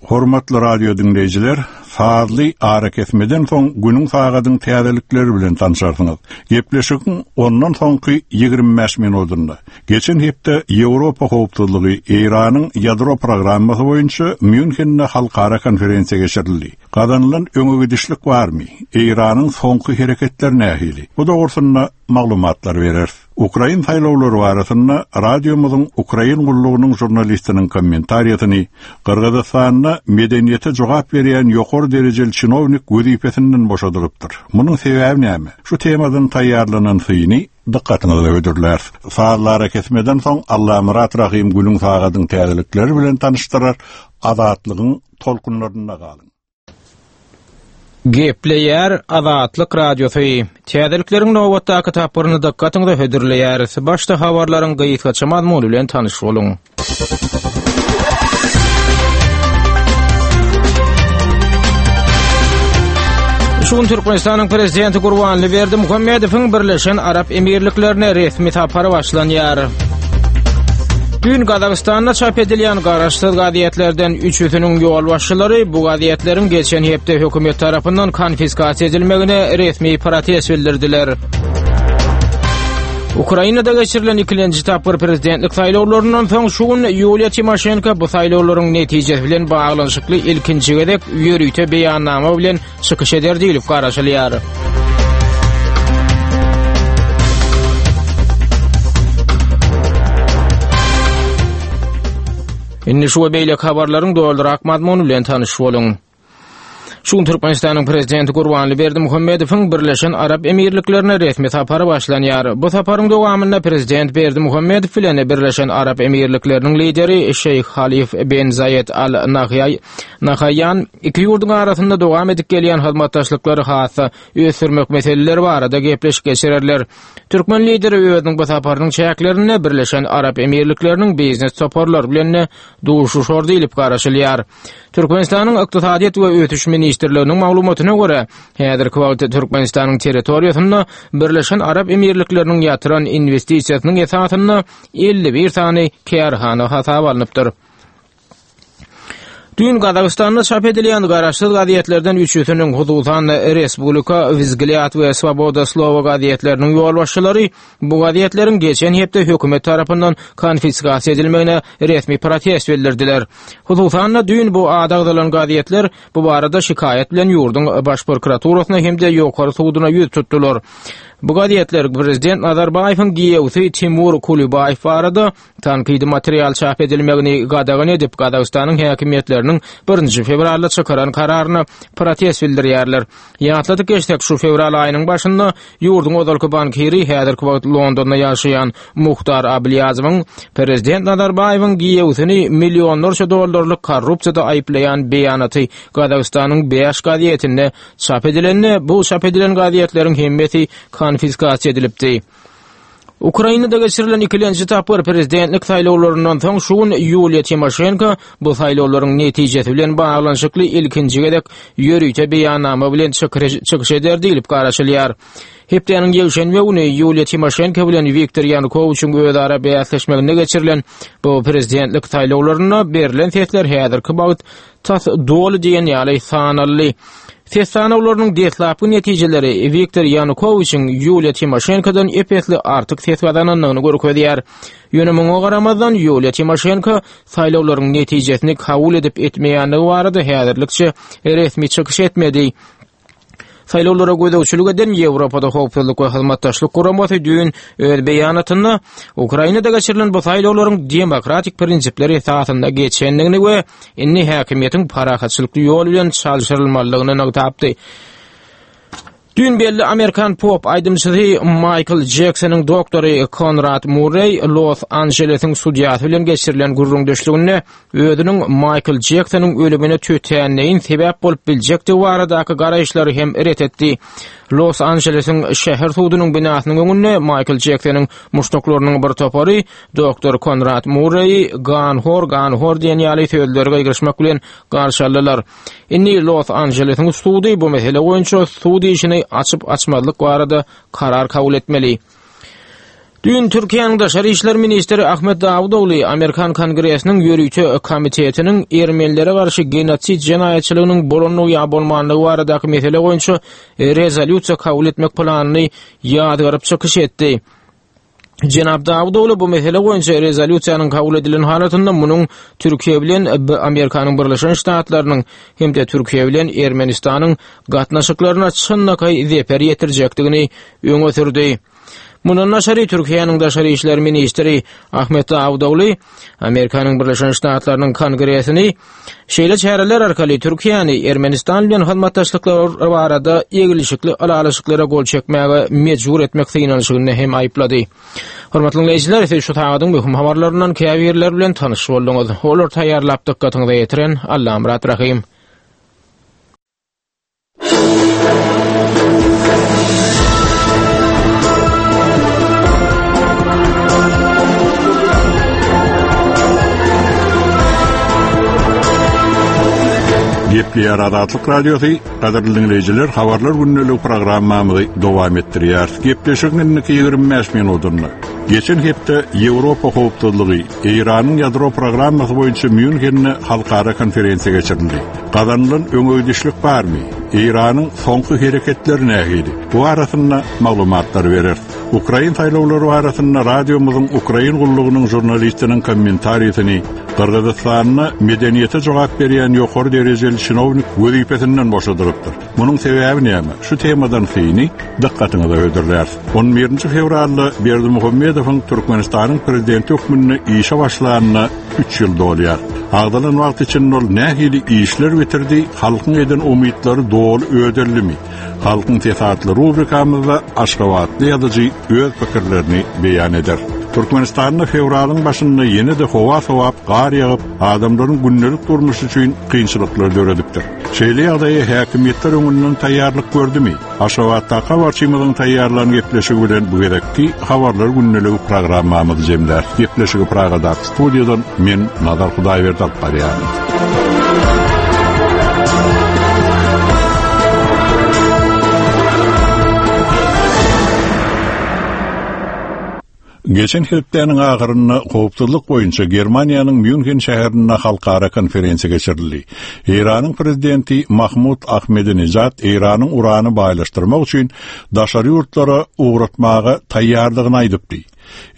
Hormatly radio diňleýjiler, sazly arakesmeden soň günüň sagadyň täzelikleri bilen tanşarsyňyz. Gepleşigiň ondan soňky 25 minudynda geçen hepde Ýewropa howpsuzlygy Eýranyň ýadro programmasy boýunça Mýunhende halkara konferensiýa geçirildi. Gazanylan öňegidişlik barmy? Eýranyň soňky hereketleri nähili? Bu dogrusynda maglumatlar bereris. Ukrain saýlawlary barasynda radiomyzyň Ukrain gullugynyň žurnalistiniň kommentariýasyny Gyrgyzystanda medeniýete jogap berýän ýokary derejeli çinownik wezipesinden boşadylypdyr. Munuň sebäbi näme? Şu temadan taýýarlanan syny dykgatyňyza hödürläris. Sazly arakesmeden soň Allamyrat Rahym günüň sagadyň täzelikleri bilen tanyşdyrar. Azatlygyň tolkunlarynda galyň. Gepleýär Azatlyk Radiosy. Täzelikleriň nobatdaky tapgyryny dykgatyňyza hödürleýäris. Başda habarlaryň gysgaça mazmuny bilen tanyş boluň. Şu gün Türkmenistanyň Prezidenti Gurbanly Berdimuhamedowyň Birleşen Arap Emirliklerine resmi sapary başlanýar. Düýn Gazagystanda çap edilýän garaşsyz gazetlerden üçüsiniň ýolbaşçylary bu gazetleriň geçen hepde hökümet tarapyndan konfiskasiýa edilmegine resmi protest bildirdiler. Ukrainada geçirilen ikilenji tapgyr prezidentlik saýlawlaryndan soň şu gün Ýuliýa Timoşenko bu saýlawlaryň netijesi bilen baglanyşykly ilkinji gezek ýörite beýannama bilen çykyş eder diýlip garaşylýar. Indi şu we beýleki habarlaryň dolurak mazmuny bilen tanyş boluň. Şu gün Türkmenistanyň Prezidenti Gurbanly Berdimuhamedowyň Birleşen Arap Emirliklerine resmi sapary başlanýar. Bu saparyň dowamynda Prezident Berdimuhamedow bilen Birleşen Arap Emirlikleriniň lideri Şeýh Halif ben Zaýed Al Nahaýan iki ýurduň arasynda dowam edip gelýän hyzmatdaşlyklary has-da ösdürmek meseleleri barada gepleşik geçirerler. Türkmen lideri özüniň bu saparynyň çäklerinde Birleşen Arap Emirlikleriniň biznes toparlary bilen-de duşuşar diýlip garaşylýar. Türkmenistanyň Ykdysadyýet we ösüş ministrliginiň maglumatyna görä, häzirki wagtda Türkmenistanyň territoriýasynda Birleşen Arap Emirlikleriniň ýatyran inwestisiýasynyň esasynda 51 sany kärhana hasaba alnypdyr. Düýn Gazagystanda çap edilýän garaşsyz gazetlerden üçüsiniň, hususan-da, Respublika, Wzglýad we Swoboda slowa gazetleriniň ýolbaşçylary bu gazetleriň geçen hepde hökümet tarapyndan konfiskasiýa edilmegine resmi protest bildirdiler. Hususan-da, düýn bu ady agzalan gazetler bu barada şikaýat bilen ýurduň Baş prokuraturasyna hem-de Ýokary suduna ýüz tutdular. Bu gazetler prezident Nazarbaýewiň giýewsi Timur Kulibaýew barada Tankydy material çap edilmegini gadagan edip, Gazagystanyň häkimiýetleriniň birinji fewralda çykaran kararyna protest bildirýärler. Ýatladyp geçsek, şu fewral aýynyň başynda ýurduň ozalky bankiri, häzirki wagt Londonda ýaşaýan Muhtar Ablýazowyň prezident Nazarbaýewiň giýewsini millionlarça dollarlyk korrupsiýada aýyplaýan beýanaty Gazagystanyň bäş gazetinde çap edilende, bu çap edilen gazetleriň hemmesi konfiskasiýa edilipdi. Ukrainada geçirilen ikilenji tapgyr prezidentlik saýlawlaryndan soň şu gün Ýuliýa Timoşenko bu saýlawlaryň netijesi bilen baglanyşykly ilkinji gezek ýörite beýannama bilen çykyş eder diýlip garaşylýar. Hepdäniň ýekşenbe güni Ýuliýa Timoşenko bilen Wiktor Ýanukowiçiň özara bäsleşmeginde geçirilen bu prezidentlik saýlawlarynda berlen sesler häzirki wagt tas doly diýen ýaly sanaldy. Ses sanawlarynyň deslapky netijeleri Wiktor Ýanukowiçiň Ýuliýa Timoşenkodan ep-esli artyk ses gazanandygyny görkezýär. Ýöne muňa garamazdan, Ýuliýa Timoşenko saýlawlaryň netijesini kabul edip-etmeýändigi barada häzirlikçe resmi çykyş etmedi. Saýlawlara gözegçilik eden Ýewropada Howpsuzlyk we Hyzmatdaşlyk Guramasy düýn öz beýanatynda Ukrainada geçirilen bu saýlawlaryň demokratik prinsipler esasynda geçendigini we indi häkimiýetiň parahatçylykly ýol bilen çalşyrylmalydygyny nygtapdy. Düýn belli amerikan pop aýdymçysy Maýkl Jeksonyň doktory Konrad Murreý Los-Anjelesiň sudýasy bilen geçirilen gürrüňdeşliginde özüniň Maýkl Jeksonyň ölümine tötänleýin sebäp bolup biljekdigi baradaky garaýyşlary hem ret etdi. Los-Anjelesiň şäher sudunyň binasynyň öňünde Maýkl Jeksonyň muşdaklarynyň bir topary doktor Konrad Murreýi ganhor, ganhor diýen ýaly sözleri gygyryşmak bilen garşy aldylar. Indi Los-Anjelesiň sudy bu mesele boýunça sud işini açyp-açmazlyk barada karar kabul etmeli. Düýn Türkiýäniň daşary işler ministri Ahmet Dawutogly Amerikan Kongresiniň ýörite komitetiniň ermenilere garşy genosid jenaýatçylygynyň bolandygy ýa bolmandygy baradaky mesele boýunça rezolýusiýa kabul etmek planyny ýazgaryp çykyş etdi. Jenap Dawutogly bu mesele boýunça rezolýusiýanyň kabul edilen halatynda munuň Türkiýe bilen Amerikanyň Birleşen Ştatlarynyň hem-de Türkiýe bilen Ermenistanyň gatnaşyklaryna çynlakaý zeper ýetirjekdigini öňe sürdi. Mundan daşary Türkiýäniň daşary işler ministri Ahmet Dawutogly Amerikanyň Birleşen Ştatlarynyň Kongresini şeýle çäreler arkaly Türkiýäni Ermenistan bilen hyzmatdaşlyklar barada eglişikli ylalaşyklara gol çekmäge mejbur etmek synanyşygynda hem aýyplady. Hormatly diňleýjiler, siz şu sagadyň möhüm habarlaryndan käbirleri bilen tanyş bolduňyz. Olary taýýarlap dykgatyňyza ýetiren Allamyrat Rahym. Gepleýär Azatlyk Radiosy, gadyrly diňleýjiler, habarlar gündeligi programmamyzy dowam etdirýäris. Gepleşigiň indiki 25 minutynda geçen hepde Ýewropa howpsuzlygy, Eýranyň ýadro programmasy boýunça Mýunhende halkara konferensiýa geçirildi. Gazanylan öňegidişlik barmy? Eýranyň soňky hereketleri nähili? Bu barasynda maglumatlary bereris. Ukrain saýlawlary barasynda radiomyzyň Ukrain gullugynyň žurnalistiniň kommentarisini Gyrgyzystanda medeniýete jogap berýän ýokary derejeli çinownik wezipesinden boşadylypdyr. Munuň sebäbi näme? Şu temadan syny dykgatyňyza hödürläris. On birinji fewralda Berdimuhamedowyň Türkmenistanyň Prezidenti hökmünde işe başlanyna üç ýyl dolýar. Agzalan wagt içinde ol nähili işler bitirdi, halkyň eden umytlary doly ödeldimi? Halkyň sesi atly rubrikamyzda aşgabatly ýazyjy öz pikirlerini beýan eder. Türkmenistanda fewralyň başynda ýene-de howa sowap, gar ýagyp, adamlaryň gündelik durmuşy üçin kynçylyklar döredipdir. Şeýle ýagdaýa häkimiýetler öňünden taýýarlyk gördümi? Aşgabatdaky habarçymyzyň taýýarlan gepleşigi bilen bu gezekki Habarlar gündeligi programmamyzy jemläris. Gepleşigi Pragadaky studiýadan men Nazar Hudaýberdi alyp barýaryn. Geçen hepdäniň ahyrynda howpsuzlyk boýunça Germaniýanyň Mýunhen şäherinde halkara konferensiýa geçirildi. Eýranyň prezidenti Mahmud Ahmedinejad Eýranyň urany baýlaşdyrmak üçin daşary ýurtlara ugratmaga taýýardygyny aýdypdy.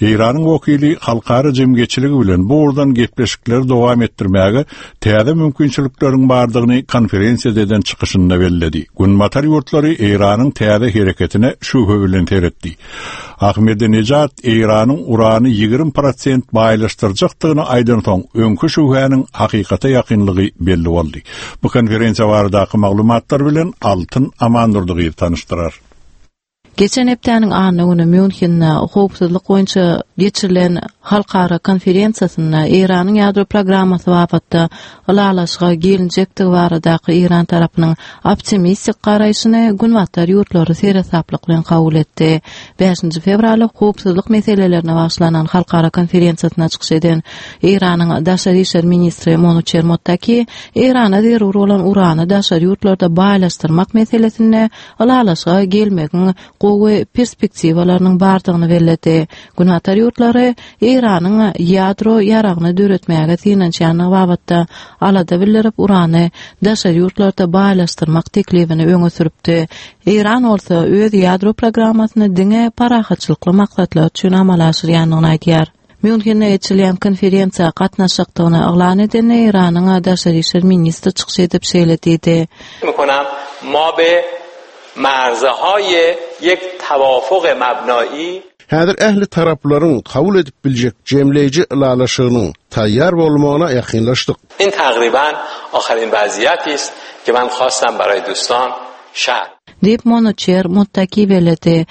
Eýranyň wekili halkara jemgyýetçiligi bilen bu ugurdan gepleşikleri dowam etdirmäge täze mümkinçilikleriň bardygyny konferensiýada eden çykyşynda belledi. Günbatar ýurtlary Eýranyň täze hereketine şübhe bilen seretdi. Ahmedinejad Eýranyň urany 20 prosent baýlaşdyrjakdygyny aýdansoň, öňki şübhäniň hakykata ýakynlygy belli boldy. Bu konferensiýa baradaky maglumatlar bilen Altyn Amandurdy gyzy tanyşdyrar. Geçen hepdäniň anna güni Mýunhende howpsuzlyk boýunça geçirilen halkara konferensiýasynda Eýranyň ýadro programmasy babatda ylalaşyga gelinjekdigi baradaky Eýran tarapynyň optimistik garaýşyny Günbatar ýurtlary seresaplyk bilen kabul etdi. Bäşinji fewralda howpsuzlyk meselelerine bagyşlanan halkara konferensiýasynda çykyş eden Eýranyň daşary işler ministri Monuçer Mottaki Eýrana zerur bolan urany daşary ýurtlarda baýlaşdyrmak meselesinde ylalaşyga gelmegiň gowy perspektiwalarynyň bardygyny belledi. Günbatar ýurtlary Eýranyň ýadro ýaragyny döretmäge synanyşýandygy babatda alada bildirip, urany daşary ýurtlarda baýlaşdyrmak teklibini öňe sürüpdi. Eýran bolsa öz ýadro programmasyny diňe parahatçylykly maksatlar üçin amala aşyrýandygyny aýdýar. Mýunhende geçirilýän konferensiýa gatnaşjakdygyny yglan eden Eýranyň daşary işler ministri çykyş edip şeýle diýdi. Häzir ähli taraplaryň kabul edip biljek jemleýji ylalaşygynyň taýýar bolmagyna ýakynlaşdyk. Diýip, Monuçer Muttaki belledi.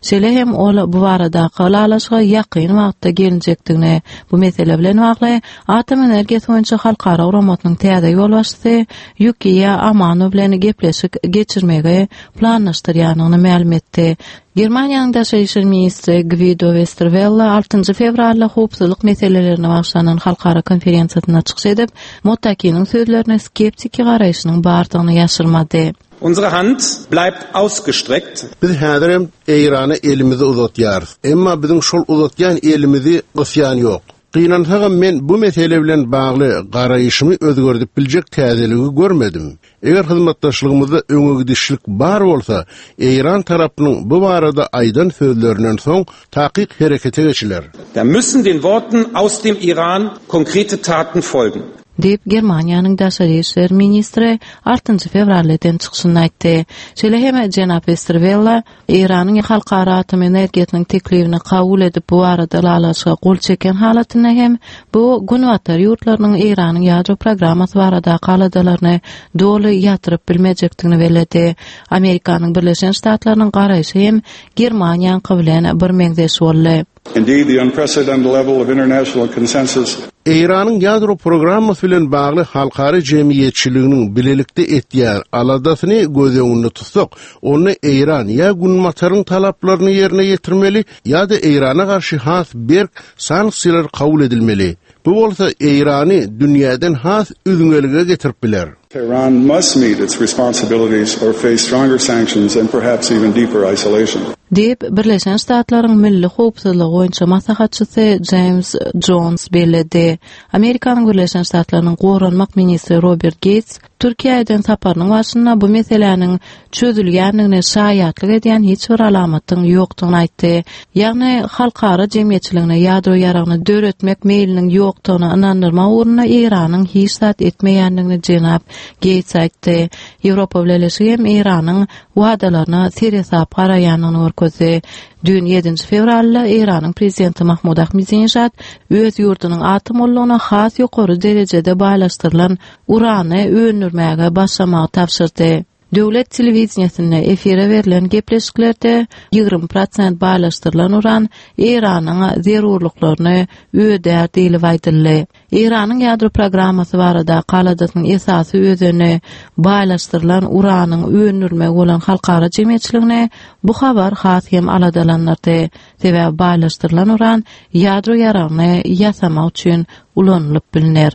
Şeýle hem ol bu baradaky ylalaşyga ýakyn wagtda gelinjekdigini, bu mesele bilen bagly Atom energiýasy boýunça halkara guramasynyň täze ýolbaşçysy Ýukiýa Amano bilen gepleşik geçirmegi planlaşdyrýandygyny mälim etdi. Germaniýanyň daşary işler ministri Gwido Westerwelle altynjy fewralda howpsuzlyk meselelerine bagyşlanan halkara konferensiýasynda çykyş edip, Mottakiniň sözlerine skeptiki garaýşynyň bardygyny ýaşyrmady. Unsere Hand bleibt ausgestreckt. Biz häzirem Eýrana elimizi uzatýarys. Emma biziň şol uzatýan elimizi gysýan ýok. Gynansagam men bu mesele bilen bagly garaýşymy özgerdip biljek täzeligi görmedim. Eger hyzmatdaşlygymyzda öňegidişlik bar bolsa, Eýran tarapynyň bu barada aýdan sözlerinden soň takyk herekete geçiler. Da müssen den Worten aus dem Iran konkrete Taten folgen. Diýip, Germaniýanyň daşary işler ministri altynjy fewralda eden çykyşynda aýtdy. Şeýle hem jenap Westerwelle Eýranyň Halkara atom energiýasynyň teklibini kabul edip, bu barada ylalaşyga gol çeken halatynda hem bu Günbatar ýurtlarynyň Eýranyň ýadro programmasy baradaky aladalaryny doly ýatyryp bilmejekdigini belledi. Amerikanyň Birleşen Ştatlarynyň garaýşy hem Germaniýaňky bilen birmeňzeş boldy. Indeed, the unprecedented level of international consensus. Eýranyň ýadro programmasy bilen bagly halkara jemgyýetçiliginiň bilelikde etýän aladasyny göz öňünde tutsak, onda Eýran ýa Günbataryň talaplaryny ýerine ýetirmeli, ýa-da Eýrana garşy has berk sanksiýalar kabul edilmeli. Bu bolsa Eýrany dünýäden has üzňelige getirip biler. Tehran must meet its responsibilities or face stronger sanctions and perhaps even deeper isolation. Diýip, Birleşen Ştatlaryň milli howpsuzlygy boýunça maslahatçysy Jeýms Jons belledi. Amerikanyň Birleşen Ştatlarynyň goranmak ministri Robert Geýts Türkiýä eden saparynyň barşynda bu meseläniň çözülýändigine şaýatlyk edýän hiç bir alamatyň ýokdugyny aýtdy. Ýagny, halkara jemgyýetçiligine ýadro ýaragyny döretmek meýliniň ýokdugyna ynandyrmak ugrunda Eýranyň hiç zat etmeýändigini jenap Geýts aýtdy. Ýewropa Bileleşigi hem Eýranyň wadalaryna seresap garaýandygyny görkezdi. Düýn ýedinji fewralda Eýranyň prezidenti Mahmud Ahmedinejad öz ýurdunyň atom gullugyna has ýokary derejede baýlaşdyrylan urany öndürmäge başlamagy tabşyrdy. Döwlet telewideniýesinde efire berlen gepleşiklerde 20 prosent baýlaşdyrylan uran Eýranyň zerurlyklaryny ödär diýlip aýdyldy. Eýranyň ýadro programmasy baradaky aladasynyň esasy özeni baýlaşdyrylan uranyň öndürilmegi bolan halkara jemgyýetçiligini bu habar has hem aladalandyrdy. Sebäbi baýlaşdyrylan uran ýadro ýaragyny ýasamak üçin ulanylyp bilner.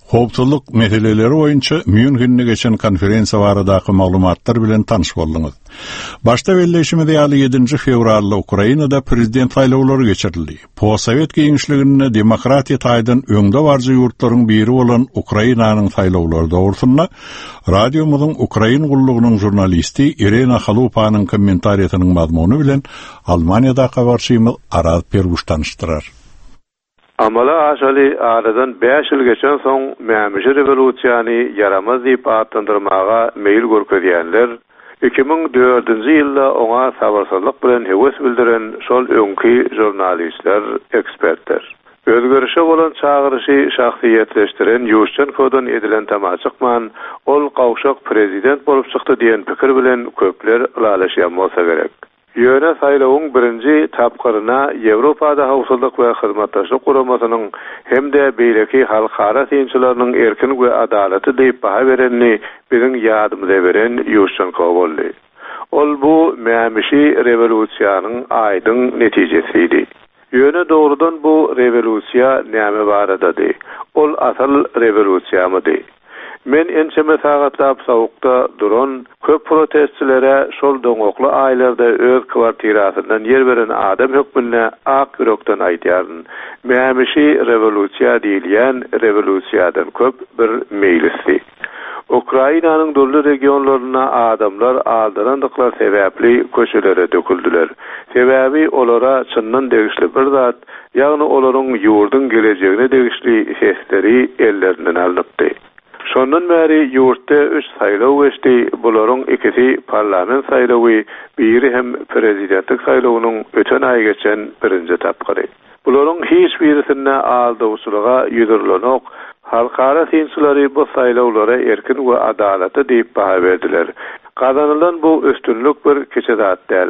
Howpsuzlyk meseleleri boýunça Mýunhende geçen konferensiýa baradaky maglumatlar bilen tanyş bolduňyz. Başda belleýşimiz ýaly, ýedinji fewralda Ukrainada prezident saýlawlary geçirildi. Postsowet giňişliginde demokratiýa taýdan öňdebaryjy ýurtlaryň biri bolan Ukrainanyň saýlawlary dogrusynda radiomyzyň Ukrain gullugynyň žurnalisti Irena Halupanyň kommentariýasynyň mazmuny bilen Almaniýadaky habarçymyz Araz Perguş tanyşdyrar. Amala aşaly aradan bäş ýyl geçensoň mämişi rewolýusiýany ýaramaz diýip atlandyrmaga meýil görkezýänler, 2004-nji ýylda oňa sabyrsyzlyk bilen höwes bildiren şol öňki žurnalistler, ekspertler. Özgerişe bolan çagyryşy şahsyýetleşdiren Ýuşçenkodan edilen tama çykman, ol gawşak prezident bolup çykdy diýen pikir bilen köpler ylalaşýan bolsa gerek. Ýöne saýlawyň birinji tapgyryna Ýewropada Howpsuzlyk we Hyzmatdaşlyk Guramasynyň hem-de beýleki halkara synçylarynyň erkin we adalatly diýip baha berenini biziň ýadymyza beren Ýuşçenko boldy. Ol bu mämişi rewolýusiýanyň aýdyň netijesidi. Ýöne dogrudan bu rewolýusiýa näme baradady? Ol asyl rewolýusiýamydy? Men ençeme sagatlap sowukda duran köp protestçilere şol doňakly aýlarda öz kwartirasyndan ýer beren adam hökmünde ak ýürekden aýdýaryn, mämişi rewolýusiýa diýilýän rewolýusiýadan köp bir meýlisdi. Ukrainanyň dürli regionlarynda adamlar aldanandyklary sebäpli köçelere döküldiler. Sebäbi olara çyndan degişli bir zat, ýagny olaryň ýurduň gelejegine degişli sesleri ellerinden alnypdy. Şondan bäri ýurtda üç saýlaw geçdi, bularyň ikisi parlament saýlawy, biri hem prezidentlik saýlawynyň öten aý geçen birinji tapgyry. Bularyň hiç birisinde aldawçylyga ýüz urlanok, halkara synçylary bu saýlawlara erkin we adalatly diýip baha berdiler. Gazanylan bu üstünlik bir kiçi zat däl.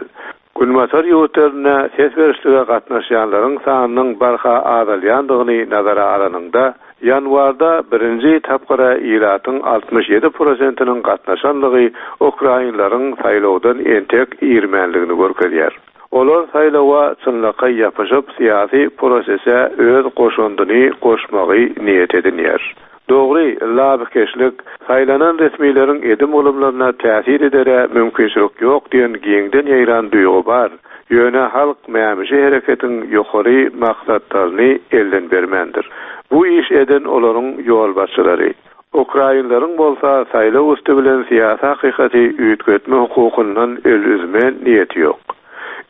Günbatar ýurtlarynda ses berişlige gatnaşýanlaryň sanynyň barha azalýandygyny nazara alanyňda, ýanwarda birinji tapgyra ilatyň 67 prosentiniň gatnaşanlygy ukrainleriň saýlawdan entek irmänligini görkezýär. Olar saýlawa çynlakaý ýapyşyp, syýasy prosese öz goşandyny goşmagy niýet edinýär. Dogry, labykeşlik, saýlanan resmileriň edim-gylymlaryna täsir edere mümkinçilik ýok diýen giňden ýaýran duýgy bar, ýöne halk mämişi hereketiň ýokary maksatlaryny elden bermändir. Bu iş eden olaryň ýolbaşçylary. Ukrainleriň bolsa saýlaw üsti bilen syýasy hakykaty üýtgetme hukukyndan el üzme niýeti ýok.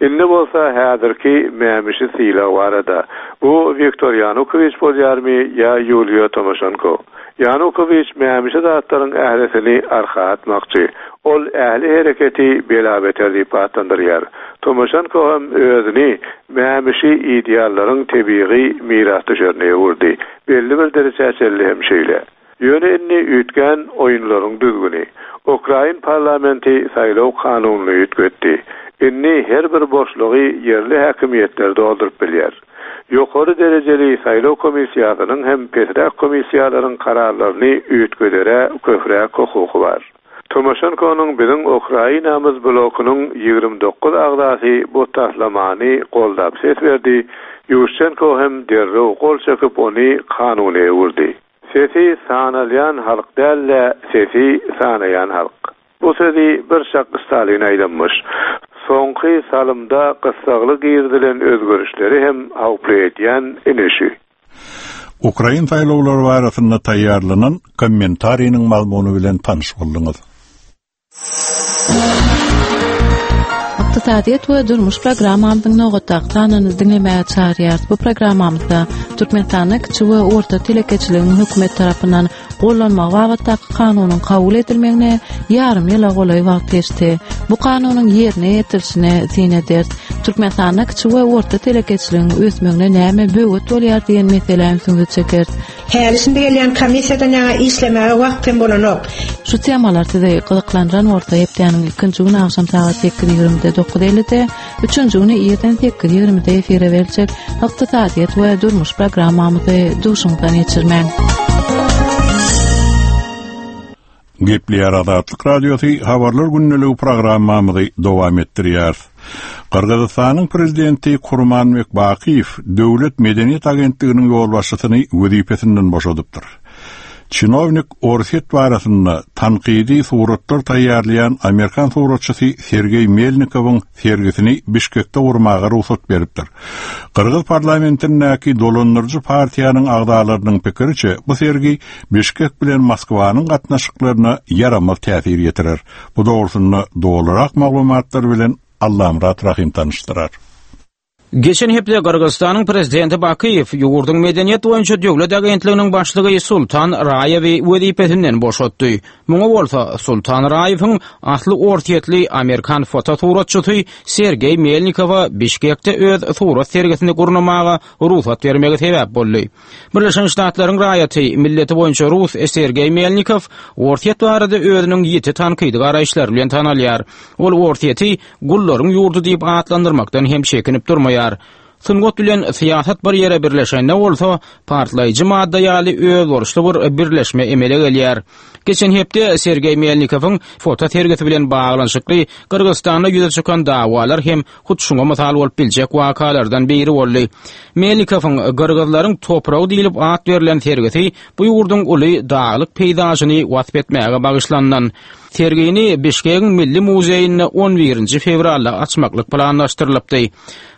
Indi bolsa häzirki mämişi sylag barada. Bu Wiktor Ýanukowiç bolýarmy ýa Ýuliýa Tomoşenko? Ýanukowiç mämişi zatlaryň ählisini arka atmakçy. Ol ähli hereketi bela-beter diýip atlandyrýar. Tomoşenko hem özüni mämişi ideallaryň tebigy mirasdüşerine öwürdi. Belli bir derejä çenli hem şeýle. Ýöne indi üýtgän oýunlaryň düzgüni. Ukrain parlamenti saýlaw kanunyny üýtgetdi. Indi her bir boşlugy ýerli häkimiýetler dolduryp bilýär. Ýokary derejeli saýlaw komissiýasynyň hem pesräk komissiýalaryň kararlaryny üýtgedere köpräk hukuky bar. Tomaşenkonyň Biziň Ukrainamyz blokunyň 29 agzasy bu taslamany goldap ses berdi, Ýuşçenko hem derrew gol çekip ony kanuna öwürdi. Sesi sanalýan halk däl-de, sesi sanaýan halk. Bu sözi bir çak Stalin aýdanmyş. Soňky salymda gyssagly girizilen özgerişleri hem howply edýän ine şü. Ukrain saýlawlary barasynda taýýarlanan kommentariniň mazmuny bilen tanyş bolduňyz. Ykdysadyýet we durmuş programmamyzyň nobatdaky sanyny diňlemäge çagyrýarys. Bu programmamyzda Türkmenistanda kiçi we orta telekeçiligiň hökümet tarapyndan gollanmagy babatdaky kanunyň kabul edilmegine ýarym ýyla golaý wagt geçdi. Bu kanunyň ýerine ýetirilişine syn ederis. Türkmenistanda kiçi we orta telekeçiligiň ösmegine näme böwet bolýar diýen meselä ünsüňizi çekeris. Häli şindi gelýän komissiýadan ýaňa işlemäge wagt hem bolanok. Şu temalar sizi gyzyklandyran bolsa hepdäniň ilkinji güni agşam sagat 8:20-de 9:50-de, üçünji güni irden 8:20-de efire beriljek Ykdysadyýet we durmuş programmamyzy duşuňyzdan geçirmäň. Gepleýär Azatlyk Radiosy Habarlar gündeligi programmamyzy dowam etdirýäris. Gyrgyzystanyň prezidenti Kurmanbek Bakyýew Döwlet medeniýet agentliginiň ýolbaşçysyny wezipesinden boşadypdyr. Çinownik Orsýet barasynda tankydy suratlar taýýarlaýan amerikan suratçysy Sergeý Melnikowyň sergisini Bişkekde gurmaga rugsat beripdir. Gyrgyz parlamentindäki dolandyryjy partiýanyň agzalarynyň pikiriçe, bu sergi Bişkek bilen Moskwanyň gatnaşyklaryna ýaramaz täsir ýetirer. Bu dogrusynda dolurak maglumatlar bilen Allamyrat Rahym tanyşdyrar. Geçen hepde Gyrgyzystanyň prezidenti Bakyýew ýurduň Medeniýet boýunça döwlet agentliginiň başlygy Sultan Raýewi wezipesinden boşatdy. Muňa bolsa Sultan Raýewiň asly orsýetli amerikan fotosuratçysy Sergeý Melnikowa Bişkekde öz surat sergisini gurnamaga rugsat bermegi sebäp boldy. Birleşen Ştatlaryň raýaty, milleti boýunça rus Sergeý Melnikow Orsýet barada özüniň ýiti tankydy garaýyşlary bilen tanalýar. Ol Orsýeti gullaryň ýurdy diýip atlandyrmakdan hem çekinip durmaýar. Sungat bilen syýasat bir ýere birleşende bolsa, partlaýjy madda ýaly özboluşly bir birleşme emele gelýär. Geçen hepde Sergeý Melnikowyň foto sergisi bilen baglanyşykly Gyrgyzystanda ýüze çykan dawalar hem hut şuňa mysal bolup biljek wakalardan biri boldy. Melnikowyň Gyrgyzlaryň topragy diýlip at berlen sergisi bu ýurduň uly daglyk peýzažyny wasp etmäge bagyşlanylan. Sergini Bişkegiň Milli muzeýinde on birinji fewralda açmaklyk planlaşdyrylypdy.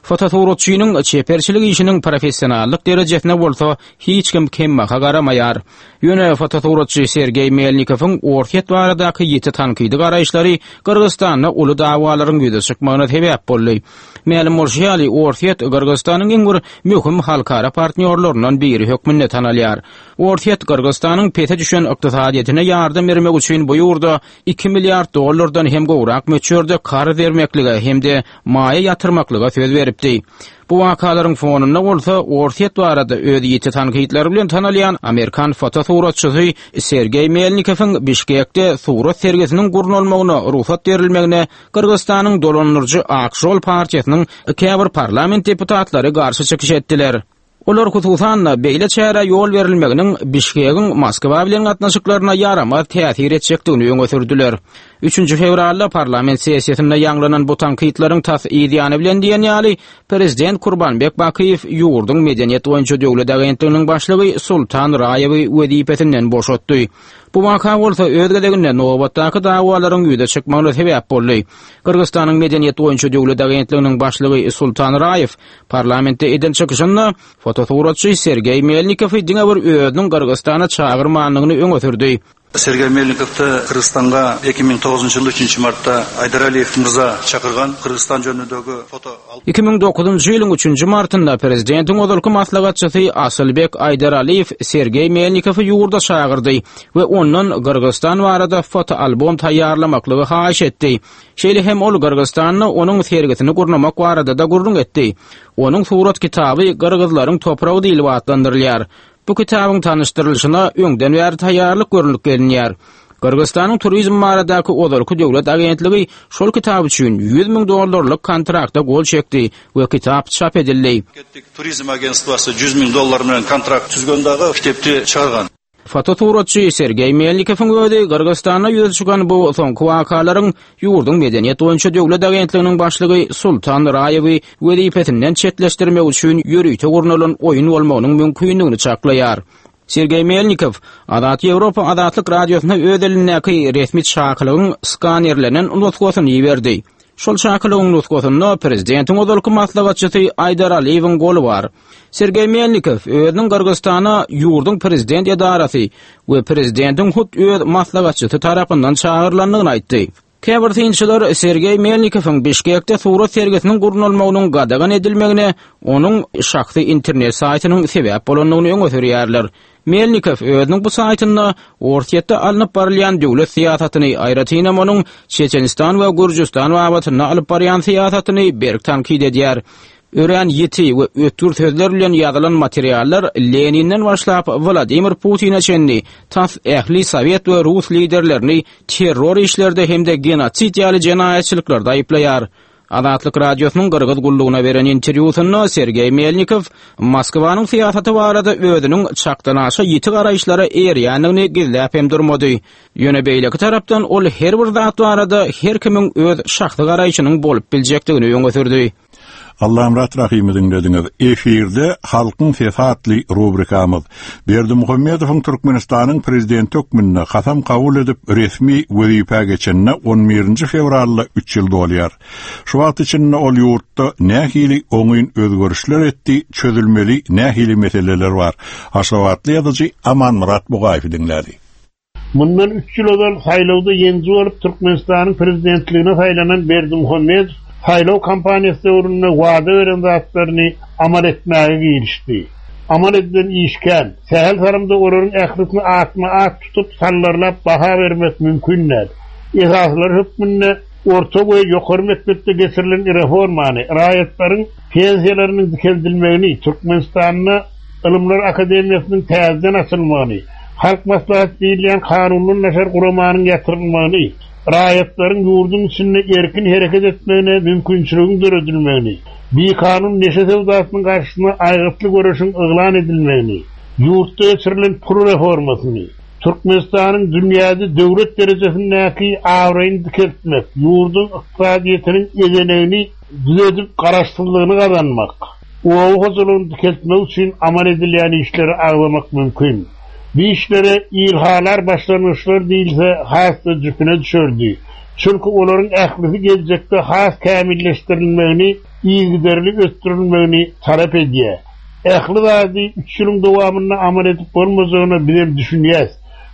Fotosuratçynyň çeperçilik işiniň professionallyk derejesine bolsa hiç kim kembaha garamaýar. Ýöne fotosuratçy Sergeý Melnikowyň Orsýet baradaky ýiti tankydy garaýyşlary Gyrgyzystanda uly dawalaryň ýüze çykmagyna sebäp boldy. Mälim bolşy ýaly, Orsýet Gyrgyzystanyň iň bir möhüm halkara partnýorlaryndan biri hökmünde tanalýar. Orsýet Gyrgyzystanyň pese düşen ykdysadyýetine ýardam bermek üçin bu ýurda iki milliard dollardan hem gowrak möçberde karz bermeklige hem-de maýa ýatyrmaklyga söz beripdi. Bu wakalaryň fonunda bolsa Orsýet barada öz ýiti tankytlary bilen tanalýan amerikan fotosuratçysy Sergeý Melnikowyň Bişkekde surat sergisiniň gurnalmagyna rugsat berilmegine Gyrgyzystanyň dolandyryjy Ak žol partiýasynyň käbir parlament deputatlary garşy çykyş etdiler. Olar hususan-da, beýle çärä ýol berilmeginiň Bişkegiň Moskwa bilen gatnaşyklaryna ýaramaz täsir etjekdigini öňe sürdüler. Üçünji fewralda parlament sessiýasynda ýaňlanan bu tankytlaryň tas yz ýany bilen diýen ýaly, prezident Kurbanbek Bakyýew ýurduň Medeniýet boýunça döwlet agentliginiň başlygy Sultan Raýewi wezipesinden boşatdy. Bu waka bolsa öz gezeginde nobatdaky dawalaryň ýüze çykmagyna sebäp boldy. Gyrgyzystanyň Medeniýet boýunça döwlet agentliginiň başlygy Sultan Raýew Parlamentde eden çykyşynda fotosuratçy Sergeý Melnikowy diňe bir özüniň Gyrgyzystana çagyrmandygyny öňe sürdi. Sergeý Melnikowdy Kyrgyzstanga 2009 ýylda üçünji martda Aýdar Aliýew myrza çakyrgan Kyrgyzstan jönündegi foto 2009-njy ýylyň üçünji martynda prezidentiň ozalky maslahatçysy Asylbek Aýdaraliýew Sergeý Melnikowy ýurda çagyrdy we ondan Gyrgyzstan barada fotoalbom taýýarlamaklygy haýyş etdi. Şeýle hem ol Gyrgyzstanda onuň sergisini gurnamak barada-da gürrüň etdi. Onuň surat kitaby Gyrgyzlaryň topragy diýlip atlandyrylýar. Bu kitabyň tanyşdyrylyşyna öňden bäri taýýarlyk görlüp gelinýär. Gyrgyzystanyň turizm baradaky ozalky döwlet agentligi şol kitap üçin 100 müň dollarlyk kontrakta gol çekdi we kitap çap edildi. Turizm agentstwasy 100 müň dollar bilen kontrakt tüzgen dagy kitepdi çykargan. Fotosuratçy Sergeý Melnikowyň özi Gyrgyzystanda ýüze çykan bu soňky wakalaryň ýurduň Medeniýet boýunça döwlet agentliginiň başlygy Sultan Raýewi wezipesinden çetleşdirmek üçin ýörite gurnalan oýun bolmagynyň mümkindigini çaklaýar. Sergeý Melnikow Azat Ýewropa Azatlyk Radiosyna öz elindäki resmi çakylygyň skanerlenen nusgasyny iberdi. Şol çakylygyň nusgasynda prezidentiň ozalky maslahatçysy Aýdar Aliýewiň goly bar. Sergeý Melnikow özüniň Gyrgyzystana ýurduň prezident edarasy we prezidentiň hut öz maslahatçysy tarapyndan çagyrylandygyny aýtdy. Käbir synçylar Sergeý Melnikowyň Bişkekde surat sergisiniň gurnalmagynyň gadagan edilmegine onuň şahsy internet saýtynyň sebäp bolandygyny öňe sürýärler. Melnikow özüniň bu saýtynda Orsýetde alnyp barylýan döwlet syýasatyny, aýratynam onuň Çeçenistan we Gürjüstan babatynda alyp barýan syýasatyny berk tankyt edýär. Örän ýiti we ötgür sözler bilen ýazylan materiallar Leninden başlap Wladimir Putine çenli tas ähli sowet we rus liderlerini terror işlerde hem-de genosid ýaly jenaýatçylyklarda aýyplaýar. Azatlyk Radiosynyň Gyrgyz gullugyna beren interwýusynda Sergeý Melnikow Moskwanyň syýasaty barada özüniň çakdanaşa ýiti garaýyşlara eýerýändigini gizläp hem durmady. Ýöne beýleki tarapdan ol her bir zat barada her kimiň öz şahsy garaýşynyň bolup biljekdigini öňe sürdi. Allamyrat Rahymy diňlediňiz. Efirde Halkyň sesi atly rubrikamyz. Berdimuhamedowyň Türkmenistanyň Prezidenti hökmünde kasam kabul edip resmi wezipä geçenine on birinji fewralda üç ýyl dolýar. Şu wagt içinde ol ýurtda nähili oňyn özgerişler etdi, çözülmeli nähili meseleler bar? Aşgabatly ýazyjy Amanmyrat Bugaýewi diňläli. Mundan üç ýyl ozal saýlawda ýeňiji bolup Türkmenistanyň prezidentligine saýlanan Berdimuhamedow saýlaw kampaniýasy döwründe wada beren zatlaryny amal etmäge girişdi. Amal edilen iş kän. Sähel salymda olaryň ählisini atma-at tutup, sallarlap baha bermek mümkin däl. Esasylary hökmünde orta we ýokary mekdepde geçirilen reformany, raýatlaryň pensiýalarynyň dikeldilmegini, Türkmenistanda Ylymlar akademiýasynyň täzeden açylmagyny, Halk Maslahaty diýilýän kanundan daşary guramanyň ýatyrylmagyny, raýatlaryň ýurduň içinde erkin hereket etmegine mümkinçiligiň döredilmegini, bikanun neşe söwdasynyň garşysyna aýgytly göreşiň yglan edilmegini, ýurtda geçirilen pul reformasyny, Türkmenistanyň dünýäde döwlet derejesindäki abraýyny dikeltmek, ýurduň ykdysadyýetiniň ezenegini düzedip garaşsyzlygyny gazanmak, Oba hojalygyny dikeltmek üçin amal edilýän işleri agzamak mümkin. Bu işlere ilhalar başlangyçlar diýilse has-da jüpüne düşerdi. Çünki olaryň ählisi geljekde has kämilleşdirilmegini, yzygiderli ösdürilmegini talap edýär. Ähli zady üç ýylyň dowamynda amal edip bolmajagyna bizem düşünýäs.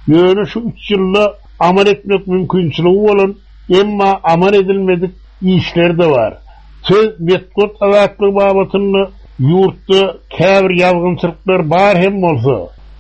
Ýöne şu üç ýylda amal etmek mümkinçiligi bolan, emma amal edilmedik işler-de bar. Söz metbugat azatlygy babatynda ýurtda käbir ýazgynçylyklar bar hem bolsa,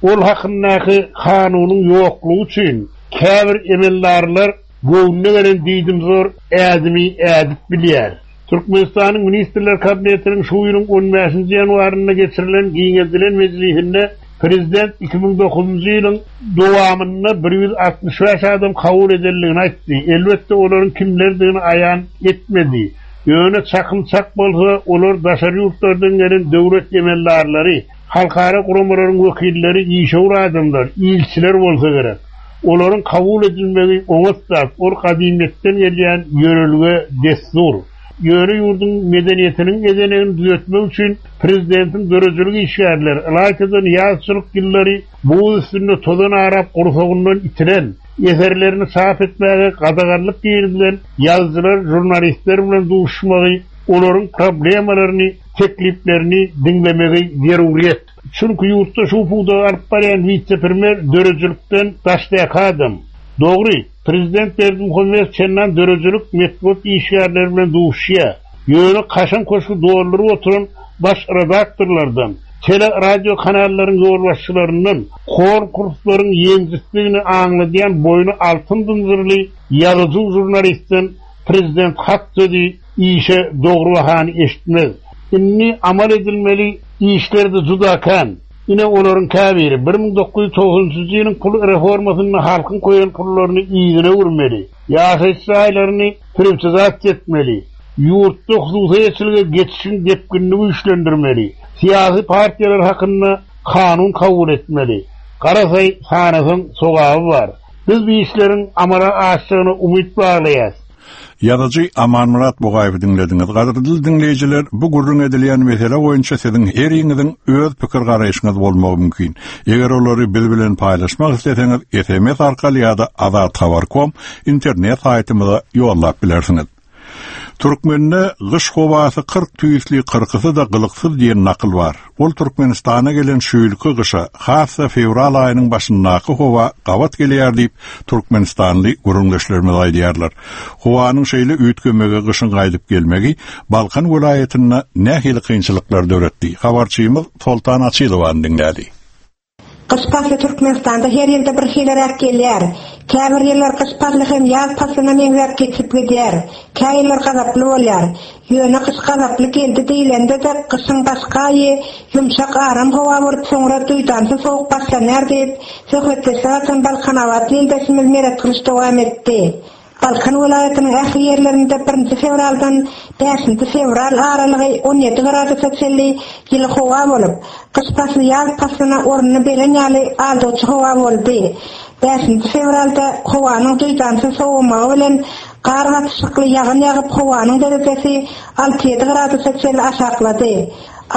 ol hakyndaky kanunyň ýoklugy üçin käbir emeldarlar göwnüne gelen diýdimzor ädimi ädip bilýär. Türkmenistanyň Ministrler Kabinetiniň şu ýylyň on bäşinji ýanwarynda geçirilen giňeldilen mejlisinde Prezident 2009-njy ýylyň dowamynda 165 adam kabul edendigini aýtdy. Elbetde, olaryň kimlerdigini aýan etmedi. Ýöne çakym çak bolsa, olar daşary ýurtlardan gelen döwlet emeldarlary, halkara guramalaryň wekilleri, işewür adamlar, ilçiler bolsa gerek. Olaryň kabul edilmegi oňat zat, ol gadymyýetden gelýän ýörelge, dessur. Ýöne ýurduň medeniýetiniň ezenegini düzetmek üçin prezidentiň döredijilik işgärleri, ylaýta-da nyýazçylyk ýyllary buz üstünde tozan arap gursagyndan itilen, eserlerini çap etmäge gadaganlyk girizilen ýazyjylar, žurnalistler bilen duşuşmagy, olaryň problemalaryny, tekliplerini diňlemegi zeruryýet. Çünki ýurtda şu pudagy alyp barýan wise-premýer döredijilikden daşdaky adam. Dogry, prezident Berdimuhamedow çendan döredijilik, metbugat işgärleri bilen duşuşýar. Ýöne kaşaň köşgi dolduryp oturan baş redaktorlardan, tele-radio kanallaryň ýolbaşçylaryndan, konkurslaryň ýeňjisidigini aňladýan boýny altyn zynjyrly ýazyjy-žurnalistden prezident hak sözi, işe dogry bahany eşitmez. Indi amal edilmeli işler-de juda kän. Ine, olaryň käbiri, 1990-njy ýylyň pul reformasynda halkyň goýan pullaryny yzyna öwürmeli, ýaşaýyş jaýlaryny priwtizasiýa etmeli, ýurtda hususy eýeçilige geçişiň depginini güýçlendirmeli, syýasy partiýalar hakynda kanun kabul etmeli. Garasaý, sanasaň sogaby bar. Biz bu işleriň amala aşjagyna umyt baglaýas. Ýazyjy Amanmyrat Bugaýewi diňlediňiz. Gadyrly diňleýjiler, bu gürrüň edilýän mesele boýunça siziň heriňiziň öz pikir-garaýşyňyz bolmagy mümkin. Eger olary biz bilen paýlaşmak isleseňiz, sms arkaly ýa-da azathabar.com internet saýtymyza ýollap bilersiňiz. Türkmende gyş howasy 40 tüýsli, kyrkysy-da gylyksyz diýen nakyl bar. Ol Türkmenistana gelen şu ýylky gyşa, has-da fewral aýynyň başyndaky howa gabat gelýär diýip, türkmenistanly gürrüňdeşlerimiz aýdýarlar. Howanyň şeýle üýtgemegi gyşyň gaýdyp gelmegi Balkan welaýatynda nähili kynçylyklar döretdi? Habarçymyz Soltan Açylowany diňläli. Gyş pasly Türkmenistanda her ýylda bir hiliräk gelýär. Käbir ýyllar gyş pasly hem ýaz paslyna meňzäp geçip gidýär. Kä ýyllar gazaply bolýar. Ýöne gyş gazaply geldi diýlende-de gyşyň başky aýy ýumşak aram howa bolup soňra duýdansyz sowuk başlanýar diýip, söhbetdeşlik açan balkanabatly ildeşimiz Meretgylyç dowam etdi. Balkan welaýatynyň ähli ýerlerinde birinji fewraldan bäşinji fewral aralygy 17 gradusa çenli ýyly howa bolup, gyş pasly ýaz paslyna ornuny beren ýaly aldawçy howa boldy. Bäşinji fewralda howanyň duýdansyz sowamagy bilen gar gatyşykly ýagyn ýagyp howanyň derejesi alty-ýedi gradusa çenli aşaklady.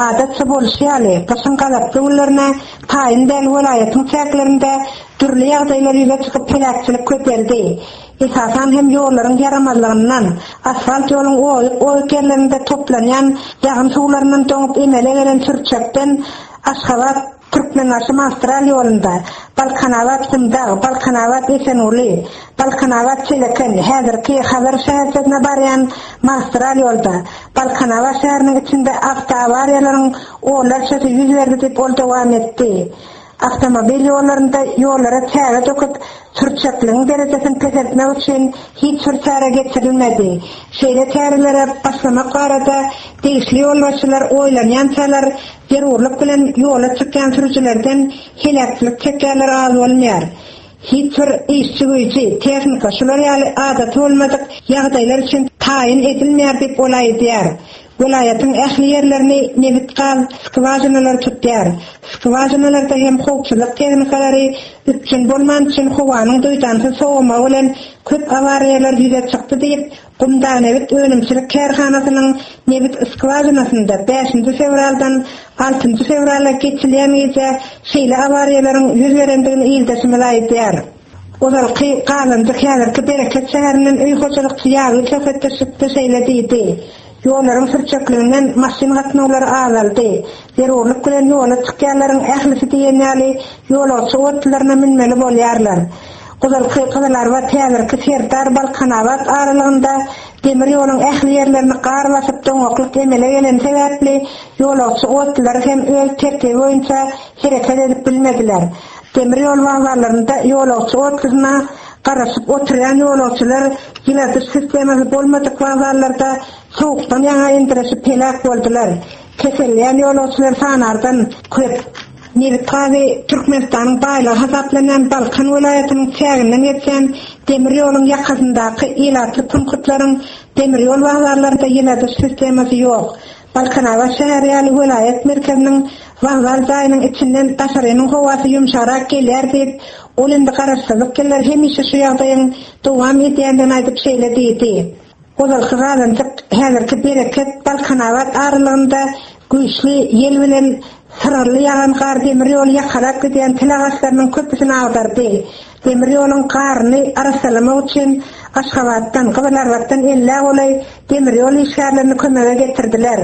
Adatça bolşy ýaly, gyşyň gazaply günlerine taýyn däl welaýatyň çäklerinde dürli ýagdaýlar ýüze çykyp heläkçilik köpeldi. Esasan hem ýollaryň ýaramazlygyndan, asfalt ýoluň oýuk-oýuk ýerlerinde toplanýan ýagyn suwlaryndan doňup emele gelen sürçekden Aşgabat, Türkmenbaşy magistral ýolunda, Balkanabat, Gumdag, Balkanabat, Esenguly, Balkanabat, Çeleken, häzirki Hazar şäherçesine barýan magistral ýolda, Balkanabat şäheriniň içinde awtoawariýalaryň onlarçasy ýüz berdi diýip, ol dowam etdi. Awtomobil ýollarynda ýollara çäge döküp, sürçekligiň derejesini peseltmek üçin hiç bir çäre geçirilmedi. Şeýle çärelere başlamak barada degişli ýolbaşçylar oýlanýançalar zerurlyk bilen ýola çykýan sürüjilerden heläkçilik çekýänler az bolmaýar. Hiç bir işçi güýji, tehnika şular ýaly adaty bolmadyk ýagdaýlar üçin taýyn edilmeýär diýip ol aýdýar. Welaýatyň ähli ýerlerini nebit-gaz skwažinalary tutýar. Skwažinalarda hem howpsuzlyk tehnikalary üpjün bolmany üçin howanyň duýdansyz sowamagy bilen köp awariýalar ýüze çykdy diýip, Gumdagnebit önümçilik kärhanasynyň nebit skwažinasynda bäşinji fewraldan altynjy fewrala geçilýän gije şeýle awariýalaryň ýüz berendigini ildeşimiz aýdýar. Ozalky Gazanjyk häzirki Bereket şäherinden öý hojalykçy Ýazgül söhbetdeşlikde şeýle diýdi, Ýollaryň sürçekliginden maşyn gatnawlary azaldy. Zerurlyk bilen ýola çykýanlaryň ählisi diýen ýaly ýolagçy otlularyna münmeli bolýarlar. Ozalky Gyzylarbat häzirki Serdar Balkanabat aralygynda demir ýoluň ähli ýerlerini gar basyp doňaklyk emele geleni sebäpli ýolagçy otlulary hem öz tertibi boýunça hereket edip bilmediler. Demir ýol wokzallarynda ýolagçy otlusyna garaşyp oturýan ýolagçylar ýyladyş sistemasy bolmadyk wokzallarda sowukdan ýaňa endireşip heläk boldular. Keselleýän ýolagçylar sanardan köp. Nebit gazy Türkmenistanyň baýlygy hasaplanýan Balkan welaýatynyň çäginden geçýän demir ýoluň ýakasyndaky ilatly punktlaryň demir ýol wokzallarynda ýyladyş sistemasy ýok. Balkanabat şäheri ýaly welaýat merkeziniň wokzal jaýynyň içinden daşarynyň howasy ýumşagrak gelýär diýip, ol indi garaşsyzlyk ýyllary hemişe şu ýagdaýyň dowam edýändigini aýdyp şeýle diýdi. Ozalky Gazanjyk, häzirki Bereket, Balkanabat aralygynda güýçli ýel bilen syrgynly ýagan gar demir ýoly ýakalap gidýän til agaçlarynyň köpüsini agdardy. Demir ýoluň garyny arassalamak üçin Aşgabatdan, Gyzylarbatdan ellä golaý demir ýol işgärlerini kömege getirdiler.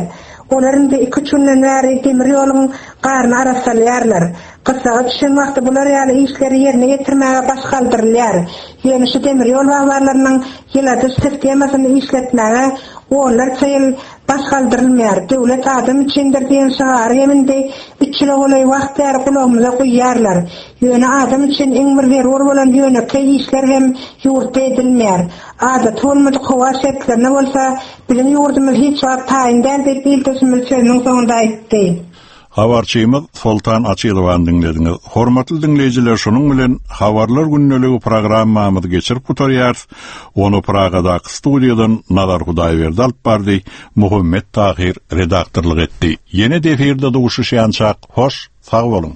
Olar indi iküç günden bäri demir ýoluň garyny arassalaýarlar. Gyssaga düşen wagty bular ýaly işleri ýerine ýetirmäge baş galdyrylýar. Ýöne şu demir ýol wagzarlarynyň ýyladyş sistemasyny işletmäge onlarça ýyl baş galdyrylmaýar. Döwlet adam üçindir diýen şygary hem indi üç ýyla golaý wagt bäri gulagymyza guýýarlar. Ýöne adam üçin iň bir zerur bolan ýönekeý işler hem ýurtda edilmeýär. Adaty bolmadyk howa şertlerine bolsa biziň ýurdumyz hiç wagt taýyn däl diýip ildeşimiz sözüniň soňunda aýtdy. Habarçymyz Soltan Açylowany diňlediňiz. Hormatly diňleýjiler şunuň bilen Habarlar gündeligi programmamyzy geçirip gutarýarys. Ony Pragadaky studiýadan Nazar Hudaýberdi alyp bardy, Muhammet Tahyr redaktorlyk etdi. Ýene-de efirde duşuşýançak hoş sag boluň!